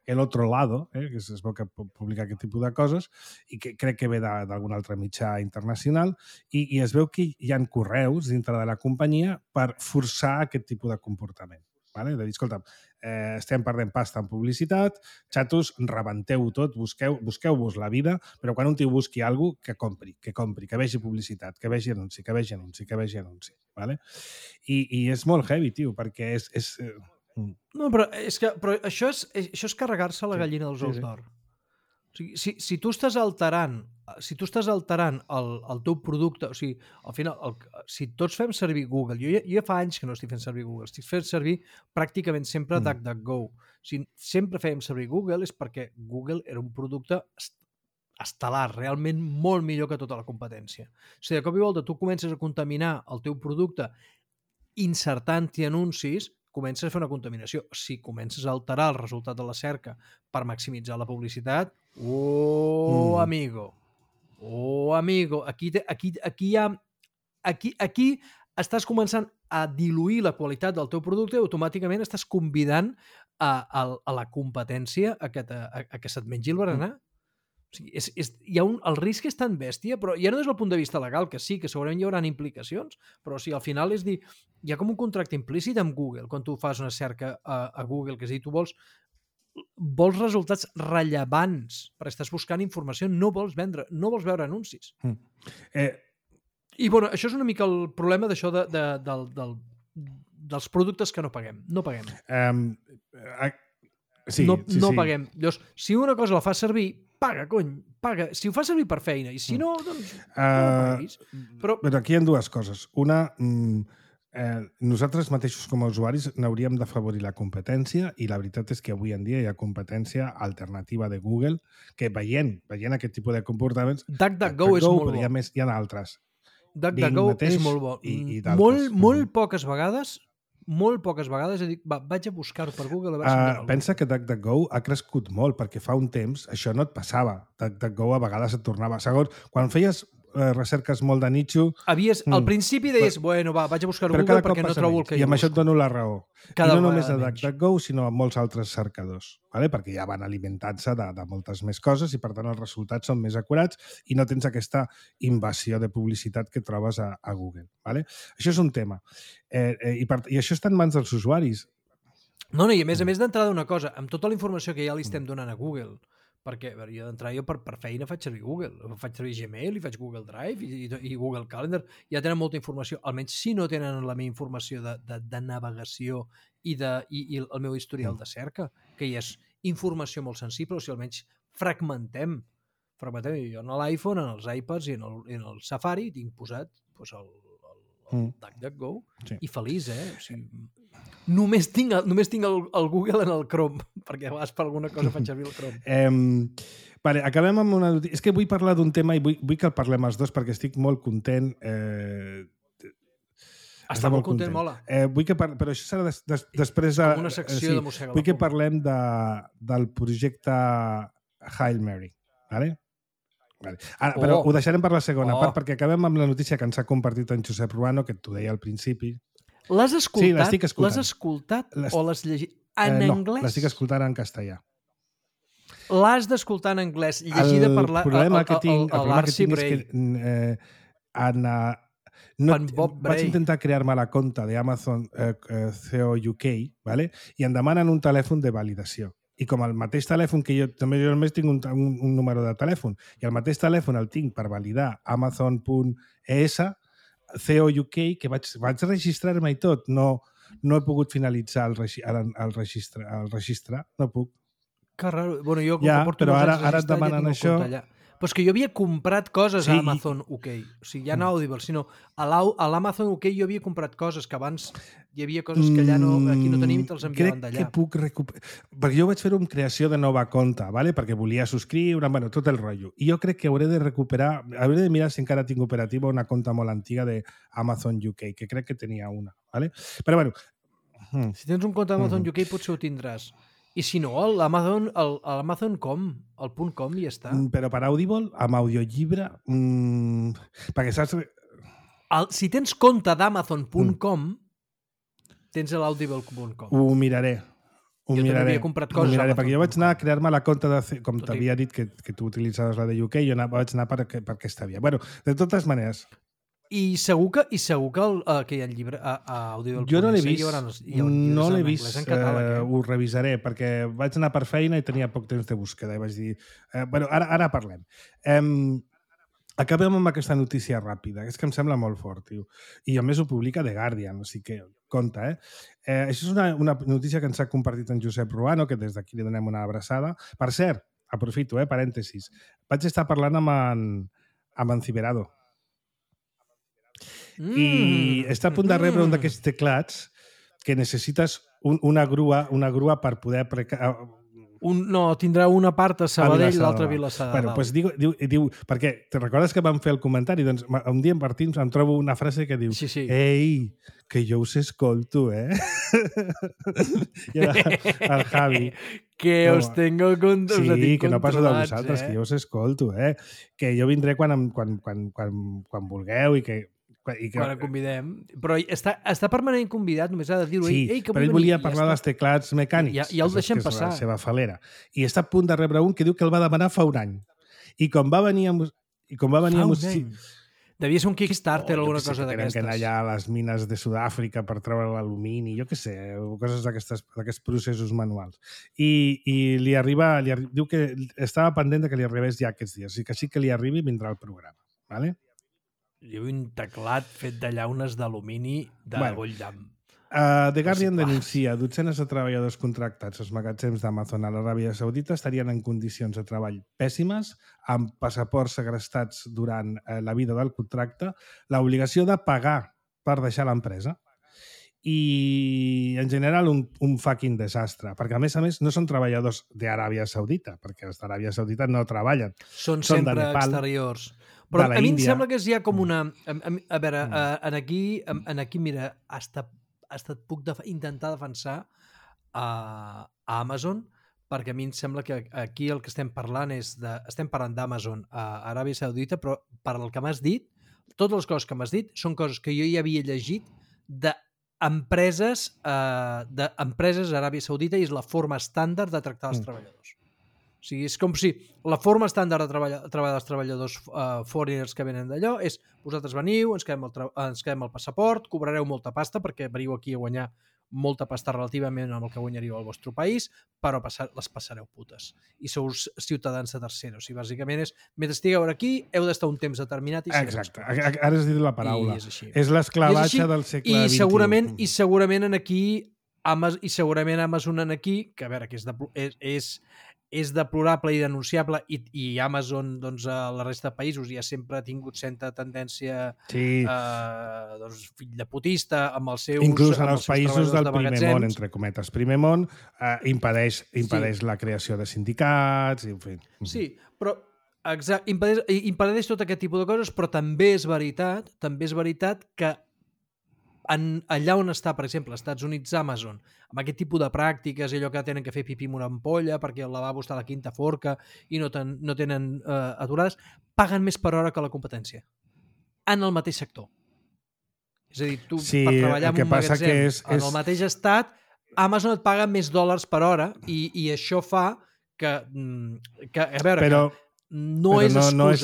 El Otro Lado, que es veu que publica aquest tipus de coses i que crec que ve d'algun altre mitjà internacional i es veu que hi ha correus dintre de la companyia per forçar aquest tipus de comportament. Vale? De dir, escolta, estem perdent pasta en publicitat, xatos, rebenteu-ho tot, busqueu-vos la vida, però quan un tio busqui alguna cosa, que compri, que vegi publicitat, que vegi anunci, que vegi anunci, que vegi anunci. Vale? I és molt heavy, tio, perquè és No, però això és carregar-se la gallina dels ous d'or. O sigui, si tu estàs alterant el teu producte, o sigui, al final, si tots fem servir Google, jo ja fa anys que no estic fent servir Google, estic fent servir pràcticament sempre DuckDuckGo. Si sempre fèiem servir Google és perquè Google era un producte estel·lar, realment molt millor que tota la competència. O sigui, de cop i volta tu comences a contaminar el teu producte insertant-hi anuncis, comences a fer una contaminació. Si comences a alterar el resultat de la cerca per maximitzar la publicitat, amigo, aquí estàs començant a diluir la qualitat del teu producte i automàticament estàs convidant a la competència a que se't mengi el berenar. O sigui, el risc és tan bèstia, però ja no des del punt de vista legal, que sí, que segurament hi haurà implicacions, però o sigui, al final és dir, hi ha com un contracte implícit amb Google, quan tu fas una cerca a Google, que és dir, tu vols resultats rellevants, perquè estàs buscant informació, no vols veure anuncis. I bueno, això és una mica el problema d'això dels productes que no paguem. No paguem. No paguem. Llavors, si una cosa la fa servir, paga, cony, paga. Si ho fa servir per feina, i si no, doncs no paguis. Però aquí hi ha dues coses. Una, nosaltres mateixos com a usuaris n'hauríem d'afavorir la competència i la veritat és que avui en dia hi ha competència alternativa de Google que veient aquest tipus de comportaments... DuckDuckGo és molt bo. Hi ha altres. DuckDuckGo és molt bo. I d'altres. Molt poques vegades dic, vaig a buscar-ho per Google a veure si pensa que DuckDuckGo ha crescut molt, perquè fa un temps això no et passava. DuckDuckGo a vegades et tornava. Segons, quan feies recerques molt de nicho... Al principi deies, vaig a buscar-ho a Google perquè no trobo el que i amb això et dono la raó. I no només a menys. DuckDuckGo, sinó a molts altres cercadors, vale? Perquè ja van alimentant-se de moltes més coses i per tant els resultats són més acurats i no tens aquesta invasió de publicitat que trobes a Google. Vale? Això és un tema. I això està en mans dels usuaris. No, i a més d'entrada una cosa, amb tota la informació que ja li estem donant a Google, perquè jo d'entrada per feina faig servir Google, faig servir Gmail i faig Google Drive i Google Calendar, ja tenen molta informació, almenys si no tenen la meva informació de navegació i el meu historial de cerca, que hi és informació molt sensible, o sigui, almenys fragmentem. Jo en l'iPhone, en els iPads i en el Safari tinc posat el DuckDuckGo i feliç, O sigui, només tinc el Google en el Chrome, perquè a vegades per alguna cosa faig servir el Chrome. Vale, acabem amb una notícia. És que vull parlar d'un tema i vull que el parlem els dos perquè estic molt content. Està molt content, mola. Però això serà després de... Com una secció de mossega. Vull que parlem del projecte Hail Mary. Vale? Ara, però ho deixarem per la segona part perquè acabem amb la notícia que ens ha compartit en Josep Ruano, que t'ho deia al principi. L'has escoltat? Sí, l'estic escoltant. L'has escoltat o l'has llegit en anglès? No, l'estic escoltant en castellà. L'has d'escoltar en anglès, llegida per l'Arcy Bray. Vaig intentar crear-me la compte d'Amazon CEO UK, ¿vale? I em demanen un telèfon de validació. I com el mateix telèfon que jo només tinc un número de telèfon, i el mateix telèfon el tinc per validar Amazon.es, CEO UK, que vaig registrar-me i tot, no he pogut finalitzar el registre, no puc. Que raro. Bueno, jo, però ara et demanen això. Però és que jo havia comprat coses a Amazon UK. O sigui, ja no a Audible, sinó a l'Amazon UK jo havia comprat coses que abans hi havia coses que allà aquí no tenim i te'ls enviaven d'allà. Crec que puc recuperar... Perquè jo vaig fer una creació de nova compte, ¿vale? Perquè volia subscriure, bueno, tot el rotllo. I jo crec que hauré de recuperar, hauré de mirar si encara tinc operativa una compte molt antiga d'Amazon UK, que crec que tenia una, ¿vale? Però bueno... Si tens un compte d'Amazon UK potser ho tindràs. I si no, l'Amazon.com, el .com i ja està. Però per Audible, amb audiollibre... perquè saps... Si tens compte d'Amazon.com, tens l'audible.com. Ho miraré. Jo també havia comprat coses. Perquè jo vaig anar a crear-me la compte de... Com t'havia dit que tu utilitzaves la de UK, jo vaig anar per aquesta via. Bueno, de totes maneres... I segur que hi ha llibre a Audible. Jo no l'he vist, no l'he vist, ho revisaré, perquè vaig anar per feina i tenia poc temps de búsqueda i vaig dir... Bueno, ara parlem. Acabem amb aquesta notícia ràpida, que és que em sembla molt fort, tio. I a més ho publica The Guardian, o sigui que compte, Això és una notícia que ens ha compartit en Josep Ruano, que des d'aquí li donem una abraçada. Per cert, aprofito, parèntesis, vaig estar parlant amb en Ciberado. I està a punt de rebre un d'aquests teclats que necessites una grua per poder... No, tindrà una part a Sabadell i l'altra a Vilassar de Dalt. Pues diu, perquè te recordes que vam fer el comentari? Doncs un dia en Martins em trobo una frase que diu Ei, que jo us escolto, I el Javi... Que us tengo controlats. Sí, que no passo de vosaltres, que jo us escolto, Que jo vindré quan vulgueu i que... Quan el convidem. Però està permanentment convidat, només ha de dir-ho. Sí, però ell volia parlar dels teclats mecànics. Ja el deixem passar. És la seva falera. I està a punt de rebre un que diu que el va demanar fa un any. I com va venir a... Devia ser un Kickstarter o alguna cosa d'aquestes. Que anar allà a les mines de Sud-àfrica per treure l'alumini, jo què sé, coses d'aquests processos manuals. I li arriba... Diu que estava pendent que li arribés ja aquests dies. O sigui que sí que li arribi vindrà al programa. Vale? Diu un teclat fet de llaunes d'alumini de Bolldam. The Guardian denuncia dotzenes de treballadors contractats als magatzems d'Amazon a l'Aràbia Saudita estarien en condicions de treball pèssimes, amb passaports segrestats durant la vida del contracte, l'obligació de pagar per deixar l'empresa i, en general, un fucking desastre. Perquè, a més, no són treballadors d'Aràbia Saudita, perquè els d'Aràbia Saudita no treballen. Són sempre exteriors. Però a mi em sembla que hi ha com una... A veure, aquí, mira, hasta puc intentar defensar a Amazon, perquè a mi em sembla que aquí el que estem parlant estem parlant d'Amazon a Aràbia Saudita, però per el que m'has dit, totes les coses que m'has dit són coses que jo ja havia llegit d'empreses a Aràbia Saudita i és la forma estàndard de tractar els treballadors. O sigui, és com si la forma estàndard de treballar dels treballadors foreigners que venen d'allò és vosaltres veniu, ens quedem el passaport, cobrareu molta pasta perquè veniu aquí a guanyar molta pasta relativament amb el que guanyaríeu al vostre país, però les passareu putes. I sou ciutadans de tercera. O sigui, bàsicament és, mentre estigueu aquí, heu d'estar un temps determinat i exacte. Ara has dit la paraula. És l'esclavatge del segle XXI. I segurament Amazon aquí, que a veure, que és deplorable i denunciable i Amazon doncs, a la resta de països ja sempre ha tingut certa tendència fill de putista amb els seus... Inclús en els països del primer món, entre cometes. Primer món impedeix la creació de sindicats... En fi. Sí, però impedeix tot aquest tipus de coses, però també és veritat que allà on està, per exemple, als Estats Units, Amazon, amb aquest tipus de pràctiques, allò que tenen que fer pipí amb una ampolla perquè el lavabo està a la quinta forca i no tenen aturades, paguen més per hora que la competència. En el mateix sector. És a dir, tu per treballar en un magatzem en el mateix estat, Amazon et paga més dòlars per hora i això fa que a veure... No és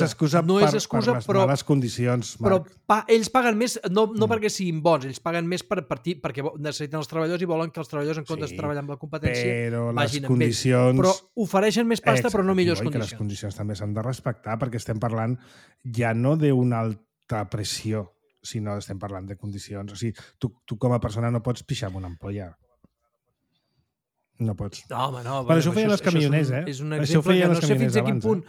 excusa per les males condicions, Marc. Però ells paguen més, no perquè siguin bons, ells paguen més perquè necessiten els treballadors i volen que els treballadors, en comptes de treballar amb la competència, vagin amb ells. Però ofereixen més pasta, però no millors condicions. Les condicions també s'han de respectar, perquè estem parlant ja no d'una alta pressió, sinó estem parlant de condicions. O sigui, tu com a persona no pots pixar amb una ampolla. No pots. No, home, no. Però això feien els camioners, És un exemple que no sé fins a quin punt...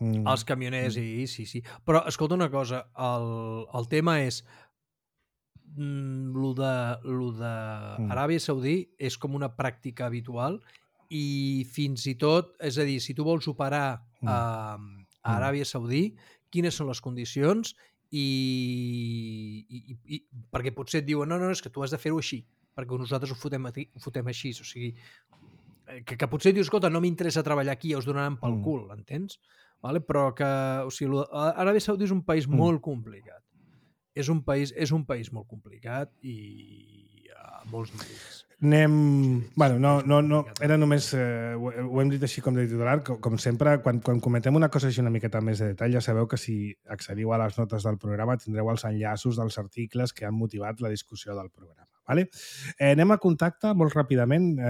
Els camioners, sí. Però, escolta una cosa, el tema és lo de Aràbia Saudí és com una pràctica habitual i fins i tot, és a dir, si tu vols operar a Aràbia Saudí, quines són les condicions i perquè potser et diuen no, és que tu has de fer-ho així, perquè nosaltres ho fotem així, o sigui, que potser dius, escolta, no m'interessa treballar aquí, ja us donaran pel cul, entens? Vale? Però que, o sigui, Aràbia Saudí és un país molt complicat. És un país molt complicat i a molts nivells. Bueno, no, era només... ho hem dit així com de titular, com sempre, quan comentem una cosa així una miqueta més de detall, ja sabeu que si accediu a les notes del programa tindreu els enllaços dels articles que han motivat la discussió del programa. Vale? Anem a contacte molt ràpidament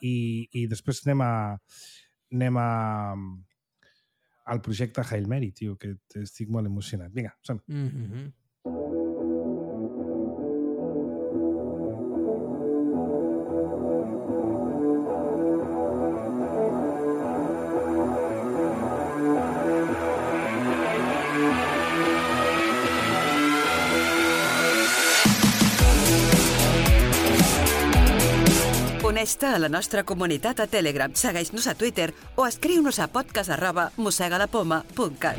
i després anem al projecte Hail Mary, tio, que estic molt emocionat. Vinga, som. Uneix-te a la nostra comunitat a Telegram, segueix-nos a Twitter o escriu-nos a podcast@mossegalapoma.cat.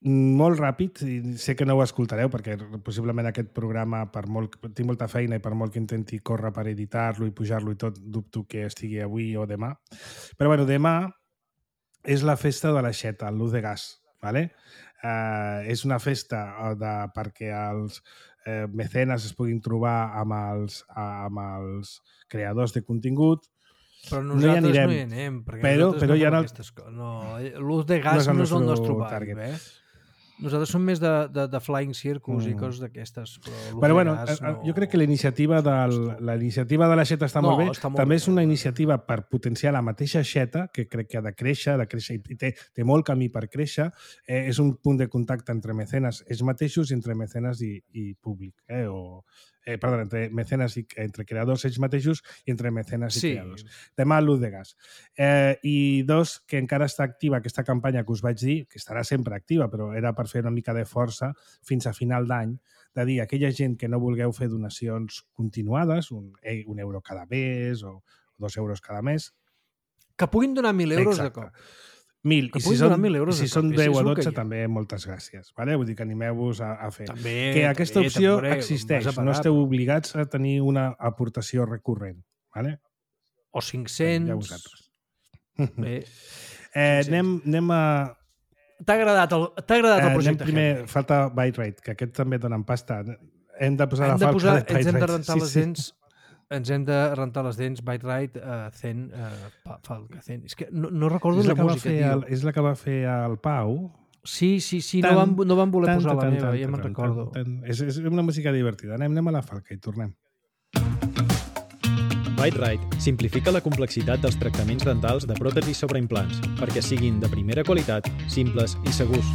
Molt ràpid, i sé que no ho escoltareu perquè possiblement aquest programa, tinc molta feina i per molt que intenti córrer per editar-lo i pujar-lo i tot, dubto que estigui avui o demà. Però bueno, demà és la festa de l'aixeta, el Luz de Gas. ¿Vale? És una festa perquè els mecenes es puguin trobar amb els creadors de contingut. Però nosaltres no hi anem, perquè nosaltres no fem aquestes coses. No, Luz de Gas no és el nostre target. Nosaltres som més de Flying Circus i coses d'aquestes. Però bueno, jo crec que la iniciativa de l'aixeta està molt bé. També és una iniciativa per potenciar la mateixa aixeta, que crec que ha de créixer i té molt camí per créixer. És un punt de contacte entre mecenes ells mateixos i entre mecenes i públic. Perdó, entre mecenes i entre creadors ells mateixos i entre mecenes i creadors. Demà, Luz de Gas. I dos, que encara està activa aquesta campanya que us vaig dir, que estarà sempre activa, però era per fer una mica de força fins a final d'any, de dir a aquella gent que no vulgueu fer donacions continuades, un euro cada mes o 2 euros cada mes. Que puguin donar 1.000 euros de cop. 1.000. I si són 10 o 12, també moltes gràcies. Vale? Vull dir que animeu-vos a fer. Que aquesta opció existeix. No esteu obligats a tenir una aportació recurrent. Vale? O 500. Ja vosaltres. Bé. Anem a... T'ha agradat el projecte? Primer, falta Byte Rate, que aquest també donen pasta. Hem de posar la falca de Byte Rate. Ens hem de rentar les dents. Ens hem de rentar les dents, Byte Rate, Zen, Falca, Zen. És que no recordo la música, tio. És la que va fer el Pau. Sí, no van voler posar la meva, ja me'n recordo. És una música divertida. Anem a la falca i tornem. Byte Rate simplifica la complexitat dels tractaments dentals de pròtesis sobre implants perquè siguin de primera qualitat, simples i segurs.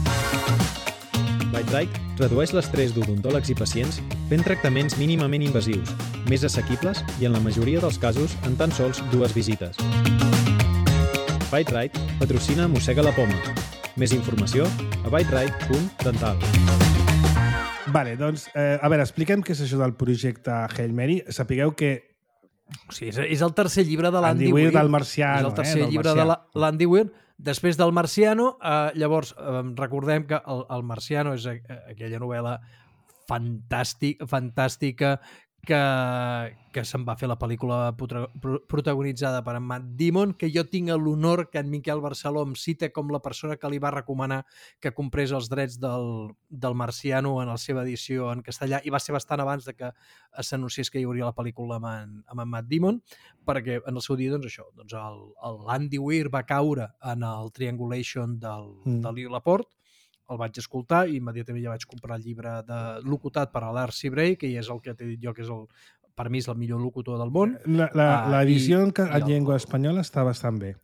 Byte Rate redueix l'estrès d'odontòlegs i pacients fent tractaments mínimament invasius, més assequibles i en la majoria dels casos en tan sols 2 visites. Byte Rate patrocina Mossega la Poma. Més informació a byterate.dental. Vale, doncs, a veure, expliquem què és això del projecte Hail Mary. Sapigueu que o sigui, és el tercer llibre de l'Andy Weir. Del Marciano. És el tercer llibre de l'Andy Weir. Després del Marciano, llavors, recordem que el Marciano és aquella novel·la fantàstica que se'n va fer la pel·lícula protagonitzada per en Matt Damon, que jo tinc l'honor que en Miquel Barceló em cita com la persona que li va recomanar que comprés els drets del Marciano en la seva edició en castellà, i va ser bastant abans de que s'anunciés que hi hauria la pel·lícula amb en Matt Damon, perquè en el seu dia, doncs això, l'Andy Weir va caure en el Triangulation de Lee Laporte, el vaig escoltar i immediatament ja vaig comprar el llibre locutat per l'Arcy Bray, que és el que t'he dit jo que és per mi és el millor locutor del món. L'edició en llengua espanyola està bastant bé.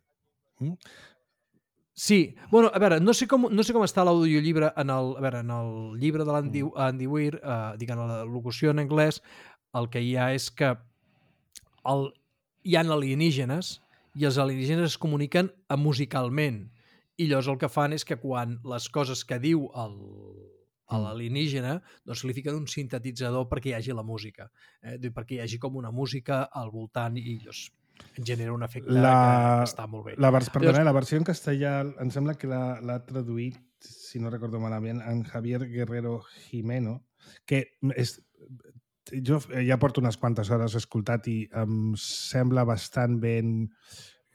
Sí, bueno, a veure, no sé com està l'audiollibre en el llibre de l'Andy Weir, diguem la locució en anglès, el que hi ha és que hi ha alienígenes i els alienígenes es comuniquen musicalment, i llavors el que fan és que quan les coses que diu a l'alienígena, doncs li fiquen un sintetitzador perquè hi hagi la música, perquè hi hagi com una música al voltant i llavors genera un efecte que està molt bé. La versió en castellà em sembla que l'ha traduït, si no recordo malament, en Javier Guerrero Jimeno, que jo ja porto unes quantes hores escoltat i em sembla bastant ben...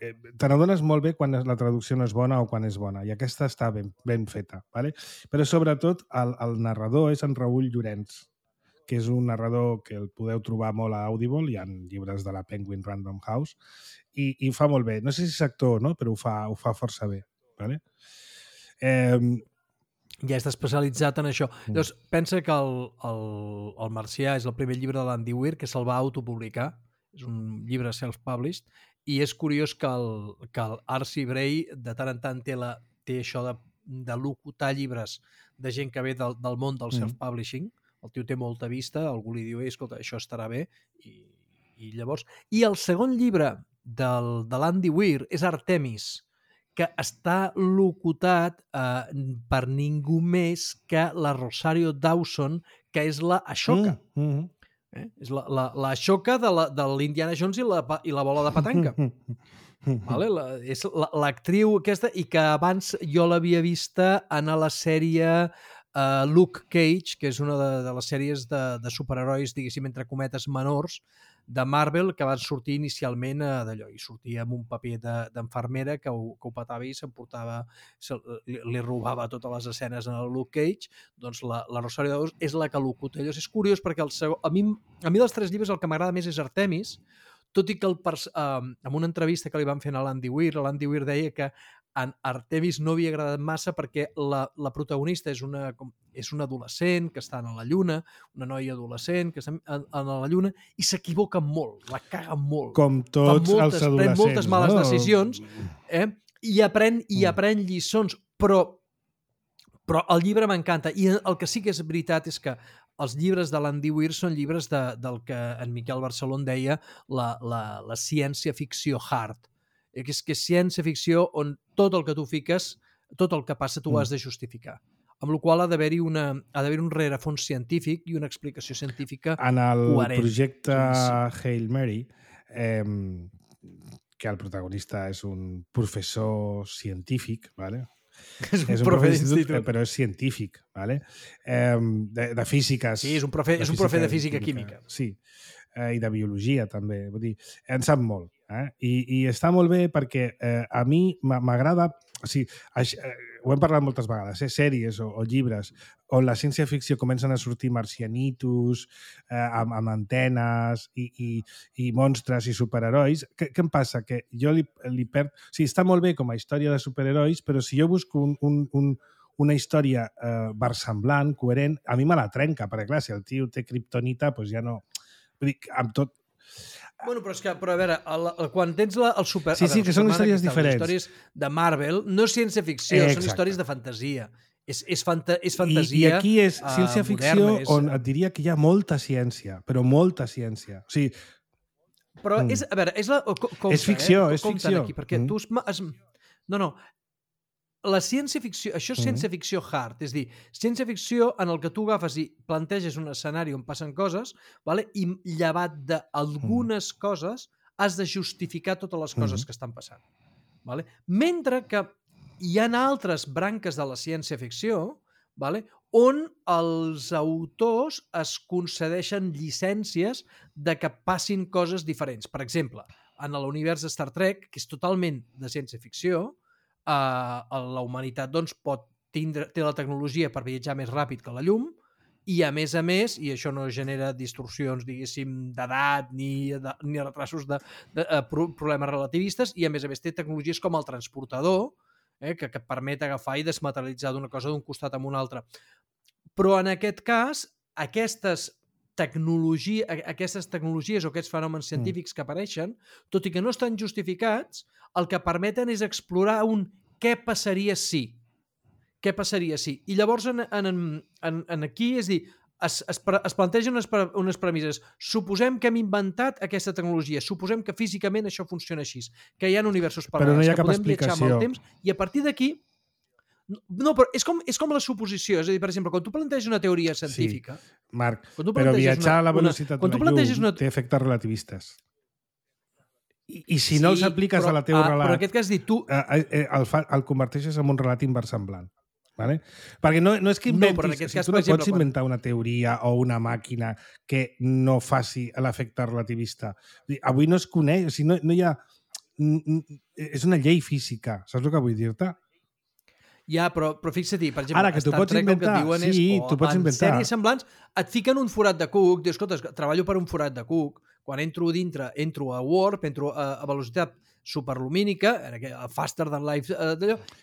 Te n'adones molt bé quan la traducció no és bona o quan és bona, i aquesta està ben feta. ¿Vale? Però sobretot el narrador és en Raül Llorenç, que és un narrador que el podeu trobar molt a Audible, hi ha llibres de la Penguin Random House, i ho fa molt bé. No sé si és actor o no, però ho fa força bé. ¿Vale? Ja està especialitzat en això. Llavors, pensa que el Marcià és el primer llibre de l'Andy Weir que se'l va autopublicar, és un llibre self-published, i és curiós que el R.C. Bray de tant en tant té això de locutar llibres de gent que ve del món del self-publishing. El tio té molta vista, algú li diu, escolta, això estarà bé, i llavors... I el segon llibre de l'Andy Weir és Artemis, que està locutat per ningú més que la Rosario Dawson, que és la Ashoka. És la Ashoka de l'Indiana Jones i la bola de petanca. Vale? És l'actriu aquesta, i que abans jo l'havia vista en la sèrie Luke Cage, que és una de les sèries de superherois, diguéssim, entre cometes menors, de Marvel, que van sortir inicialment d'allò, i sortia amb un paper d'enfermera que ho petava i li robava totes les escenes en el Luke Cage. Doncs la Rosario Dawson és la que locuta. És curiós perquè a mi dels tres llibres el que m'agrada més és Artemis, tot i que en una entrevista que li van fer a l'Andy Weir deia que en Artemis no havia agradat massa perquè la protagonista és una adolescent que està a la lluna, una noia adolescent que està a la lluna, i s'equivoca molt, la caga molt. Com tots els adolescents. Pren moltes males decisions, i aprèn lliçons, però el llibre m'encanta. I el que sí que és veritat és que els llibres de l'Andy Weir són llibres del que en Miquel Barceló deia la ciència-ficció hard. Que és ciència-ficció on tot el que tu fiques, tot el que passa, tu ho has de justificar. Amb la qual ha d'haver-hi un rerefons científic i una explicació científica coherent. En el projecte Hail Mary, que el protagonista és un professor científic, ¿vale? És un profe d'institut. Però és científic, ¿vale? De física. Sí, és un profe de física química. Sí, i de biologia també. Vull dir, en sap molt. I està molt bé perquè a mi m'agrada, o sigui, ho hem parlat moltes vegades, sèries o llibres on la ciència-ficció comencen a sortir marcianitos, amb antenes i monstres i superherois. Què em passa? Que jo li perd... O sigui, està molt bé com a història de superherois, però si jo busco una història versemblant, coherent, a mi me la trenca, perquè clar, si el tio té kriptonita, doncs ja no... Vull dir, amb tot... Bueno, però a veure, quan tens el super... Sí, que són històries diferents. Les històries de Marvel no és ciència-ficció, són històries de fantasia. És fantasia I aquí és ciència-ficció on et diria que hi ha molta ciència, però molta ciència. O sigui... Però és... A veure, és ficció, és ficció. Aquí, perquè tu No. La ciència-ficció, això és ciència-ficció hard, és a dir, ciència-ficció en el que tu agafes i planteges un escenari on passen coses, vale? I llevat d'algunes coses has de justificar totes les coses que estan passant. Vale? Mentre que hi ha altres branques de la ciència-ficció, vale? On els autors es concedeixen llicències de que passin coses diferents. Per exemple, en l'univers de Star Trek, que és totalment de ciència-ficció, la humanitat doncs, té la tecnologia per viatjar més ràpid que la llum i a més, i això no genera distorsions, diguéssim, d'edat ni retrasos de problemes relativistes, i a més té tecnologies com el transportador, que et permet agafar i desmaterialitzar d'una cosa d'un costat a un altre. Però en aquest cas, aquestes tecnologies o aquests fenòmens científics que apareixen, tot i que no estan justificats, el que permeten és explorar què passaria si? Què passaria si? I llavors aquí és dir, es plantegen unes premisses. Suposem que hem inventat aquesta tecnologia, suposem que físicament això funciona així, que hi ha universos paral·lels, però no hi ha que cap podem viatjar amb el explicació. temps, i a partir d'aquí... No, però és com la suposició. És a dir, per exemple, quan tu planteges una teoria científica... Sí, Marc, quan tu però planteges viatjar a la velocitat de la llum té efectes relativistes. I si no els apliques a la teva relat, però en aquest cas dir, tu... el converteixes en un relat inversemblant. Vale? Perquè no és que inventis... Tu no pots inventar una teoria o una màquina que no faci l'efecte relativista. Avui no es coneix, o sigui, no hi ha... És una llei física, saps el que vull dir-te? Ja, però fixa't-hi, per exemple, ara, que tu pots inventar, tu pots inventar. Sèries semblants et fiquen un forat de Cook, dius, escolta, treballo per un forat de Cook, quan entro dintre, entro a Warp, entro a velocitat superlumínica, faster than light,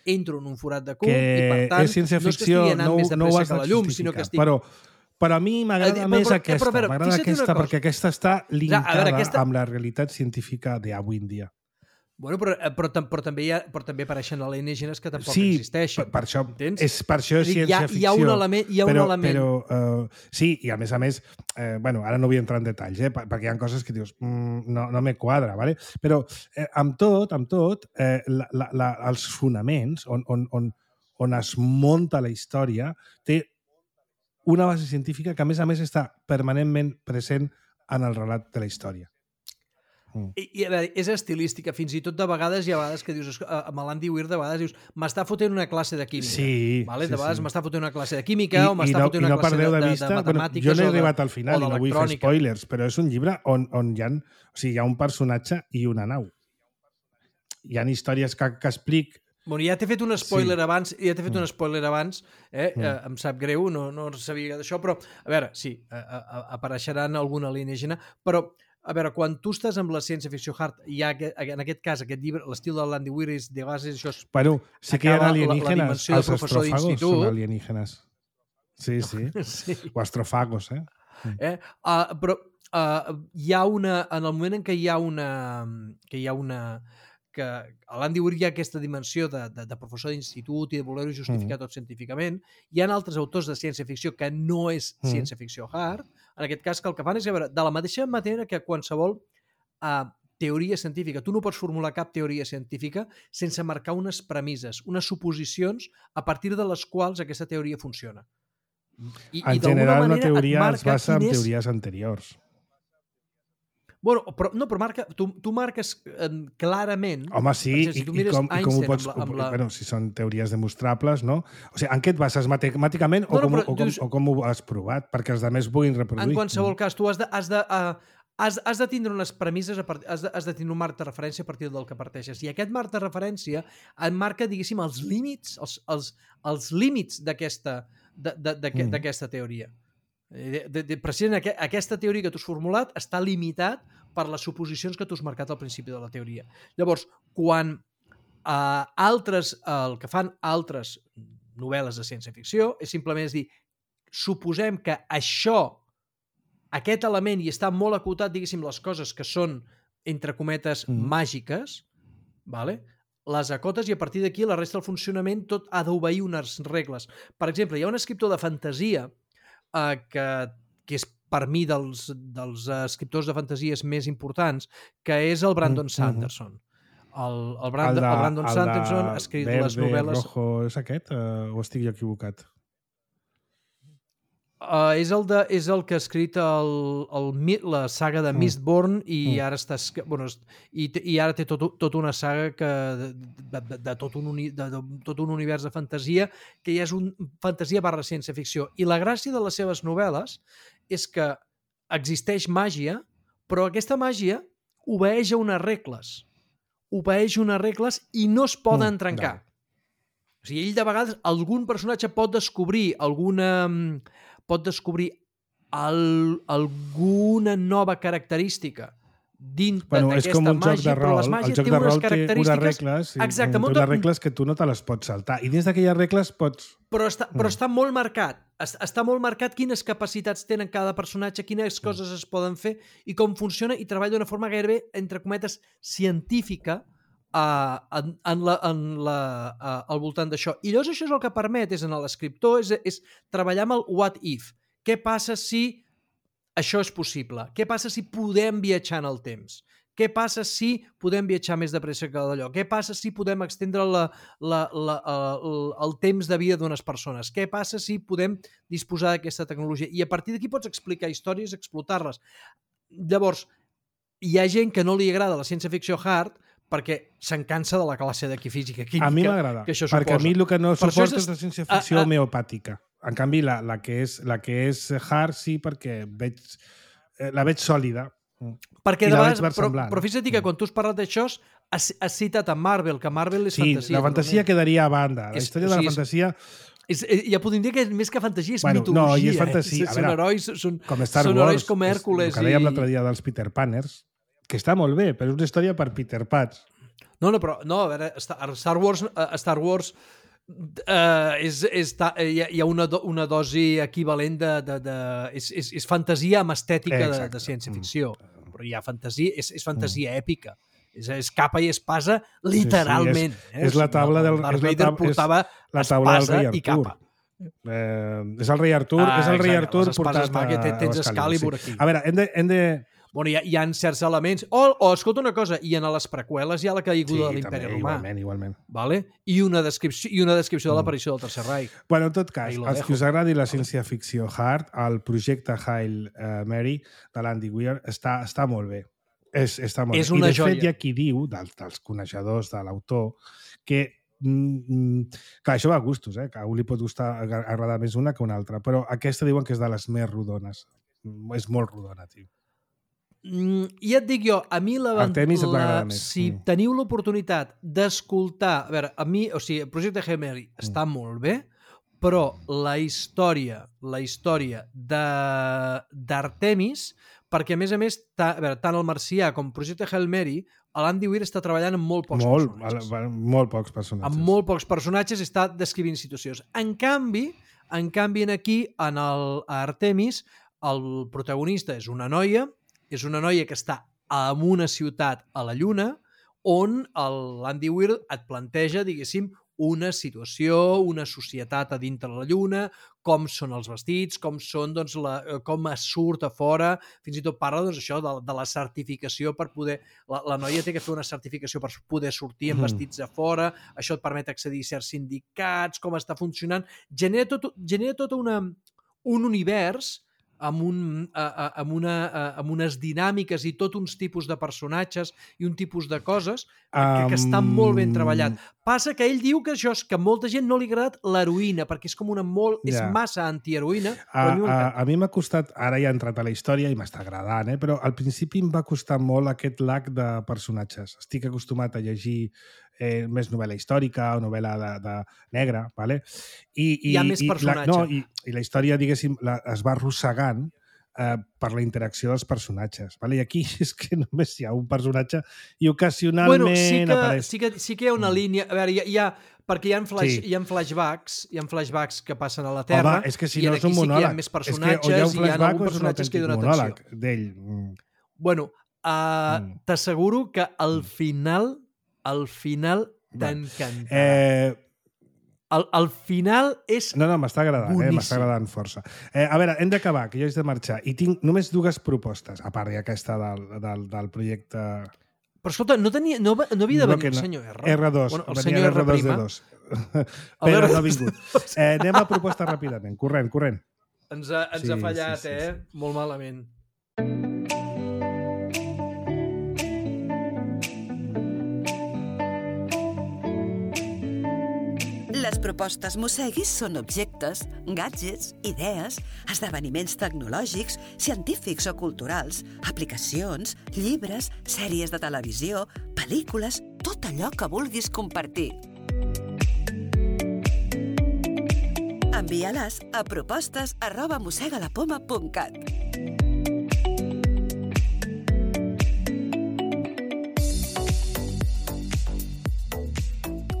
entro en un forat de Cook, i per tant, és ciència-ficció, no és que estigui anant més de pressa que la llum, sinó que estic... Però a mi m'agrada més aquesta, perquè aquesta està linkada amb la realitat científica d'avui en dia. Bueno, però també apareixen alienígenes que tampoc existeixen. Per això, entens? és ciència-ficció. Hi ha un element. Però sí, i a més, ara no vull entrar en detalls, perquè hi ha coses que dius, no me quadra, ¿vale? Però amb tot, els fonaments on es munta la història té una base científica que, a més, està permanentment present en el relat de la història. I a veure, és estilística, fins i tot de vegades hi ha vegades que dius, amb l'Andy Weir de vegades dius, m'està fotent una classe de química. Sí, vale? De vegades m'està fotent una classe de química o m'està fotent una classe de matemàtiques. Jo no he arribat al final i no vull fer spoilers, però és un llibre on hi ha un personatge i una nau. Hi ha històries que explic. Bueno, ja t'he fet un spoiler abans, em sap greu, no sabia d'això, però a veure, sí, apareixeran algun alienígena, però a veure, quan tu estàs amb la ciència-ficció hard, hi ha, en aquest cas, aquest llibre, l'estil de l'Andy Weir és de vegades això... Bueno, sí que hi ha alienígenes, els astròfagos són alienígenes. Sí. O astròfagos, Però hi ha una... En el moment en què hi ha una... que a l'Andy Weir hi ha aquesta dimensió de professor d'institut i de voler-ho justificar tot científicament. Hi ha altres autors de ciència-ficció que no és ciència-ficció hard, en aquest cas que el que fan és, a veure, de la mateixa manera que qualsevol teoria científica, tu no pots formular cap teoria científica sense marcar unes premisses, unes suposicions a partir de les quals aquesta teoria funciona. En general, una teoria es basa en teories anteriors. Bueno, però marca, tu marques clarament... Home, sí, si i com ho pots... Bueno, si són teories demostrables, no? O sigui, en què et bases matemàticament o com ho has provat? Perquè els altres puguin reproduir. En qualsevol cas, tu has de tindre unes premisses, has de tindre un marc de referència a partir del que parteixes. I aquest marc de referència et marca, diguéssim, els límits d'aquesta teoria. Precisament aquesta teoria que tu has formulat està limitat per les suposicions que tu has marcat al principi de la teoria. Llavors, quan el que fan altres novel·les de ciència-ficció és simplement dir, suposem que aquest element, i està molt acotat, diguéssim, les coses que són, entre cometes, màgiques, vale? Les acotes i a partir d'aquí la resta del funcionament tot ha d'obeir unes regles. Per exemple, hi ha un escriptor de fantasia que és per mi dels escriptors de fantasies més importants, que és el Brandon Sanderson. El Brandon Sanderson ha escrit les novel·les... Rojo, és aquest? O estic jo equivocat? És el que ha escrit la saga de Mistborn i ara ara té tota una saga de tot un univers de fantasia que ja és fantasia / ciència-ficció. I la gràcia de les seves novel·les és que existeix màgia, però aquesta màgia obeeix a unes regles i no es poden trencar. O sigui, ell de vegades, algun personatge pot descobrir alguna nova característica dintre d'aquesta màgia, però les màgies tenen unes característiques... Exacte, unes regles que tu no te les pots saltar. I dins d'aquelles regles pots... Però està molt marcat. Està molt marcat quines capacitats tenen cada personatge, quines coses es poden fer i com funciona, i treballa d'una forma gairebé, entre cometes, científica al voltant d'això. I llavors això és el que permet, és en l'escriptor, és treballar amb el what if. Què passa si això és possible? Què passa si podem viatjar en el temps? Què passa si podem viatjar més de pressa que d'allò? Què passa si podem extendre el temps de vida d'unes persones? Què passa si podem disposar d'aquesta tecnologia? I a partir d'aquí pots explicar històries, explotar-les. Llavors, hi ha gent que no li agrada la ciència-ficció hard perquè se'n cansa de la classe de física química. A mi m'agrada, perquè a mi el que no suporto és la ciència-ficció homeopàtica. En canvi, la que és hard sí, perquè la veig sòlida. Perquè de vegades, però fixa't que quan tu has parlat d'això has citat a Marvel, que Marvel és fantasia. Sí, la fantasia quedaria a banda. La història de la fantasia... Ja podem dir que més que fantasia és mitologia. No, i és fantasia. Són herois, com Star Wars, com Hèrcules. El que dèiem l'altre dia dels Peter Panners, que està molt bé, però és una història per Peter Pans. No, a veure, Star Wars hi ha una dosi equivalent és fantasia amb estètica de ciència-ficció, però hi ha fantasia, és fantasia èpica, és capa i espasa literalment. És la taula del Darth Vader portava espasa i capa. És el rei Artur portat a Excalibur aquí. A veure, hem de... Bueno, hi ha certs elements... escolta una cosa, i en les preqüeles hi ha la caiguda de l'Imperi Romà. Igualment. Vale? I una descripció de l'aparició del Tercer Reich. Bueno, en tot cas, els que us agradi la ciència-ficció hard, el projecte Hail Mary de l'Andy Weir està molt bé. Està molt bé. I de fet hi ha qui diu, dels coneixedors de l'autor, que clar, això va a gustos, que a un li pot agradar més una que una altra, però aquesta diuen que és de les més rodones. És molt rodona, tio. Ja et dic jo, a mi si teniu l'oportunitat d'escoltar, a veure, a mi, o sigui, el projecte Hail Mary està molt bé, però la història d'Artemis, perquè a més, tant el Marcià com el projecte Hail Mary, l'Andy Weir està treballant amb molt pocs personatges. Molt pocs personatges. Amb molt pocs personatges està descrivint situacions. En canvi, aquí, en Artemis, el protagonista és una noia que està en una ciutat a la Lluna on l'Andy Weir et planteja, diguéssim, una situació, una societat a dintre la Lluna, com són els vestits, com es surt a fora, fins i tot parla això de la certificació per poder... La noia té que fer una certificació per poder sortir amb vestits a fora, això et permet accedir a certs sindicats, com està funcionant... Genera tot un univers amb unes dinàmiques i tot uns tipus de personatges i un tipus de coses que estan molt ben treballat. Passa que ell diu que molta gent no li ha agradat l'heroïna, perquè és com és massa antiheroïna. A mi m'ha costat, ara ja he entrat a la història i m'està agradant, però al principi em va costar molt aquest lac de personatges. Estic acostumat a llegir més novel·la històrica o novel·la de negra, ¿vale? Hi ha més personatge. I la història, diguéssim, es va arrossegant per la interacció dels personatges. ¿vale? I aquí és que només hi ha un personatge i ocasionalment apareix... Sí que hi ha una línia... A veure, perquè hi ha flashbacks que passen a la Terra. Home, és que si no és un monòleg. Hi ha més personatges i hi ha alguns personatges que hi donen atenció. D'ell. Bueno, t'asseguro que al final t'encantarà. El final és No, m'està agradant, m'està agradant força. A veure, hem d'acabar, que jo haig de marxar. I tinc només dues propostes, a part d'aquesta del projecte... Però escolta, no havia de venir el senyor R? R2. Bueno, el senyor R'. Però no ha vingut. Anem a propostes ràpidament. Corrent. Ens ha fallat, sí. Molt malament. Les propostes Mosseguis són objectes, gadgets, idees, esdeveniments tecnològics, científics o culturals, aplicacions, llibres, sèries de televisió, pel·lícules, tot allò que vulguis compartir. Envia-les a propostes@mossegalapoma.cat.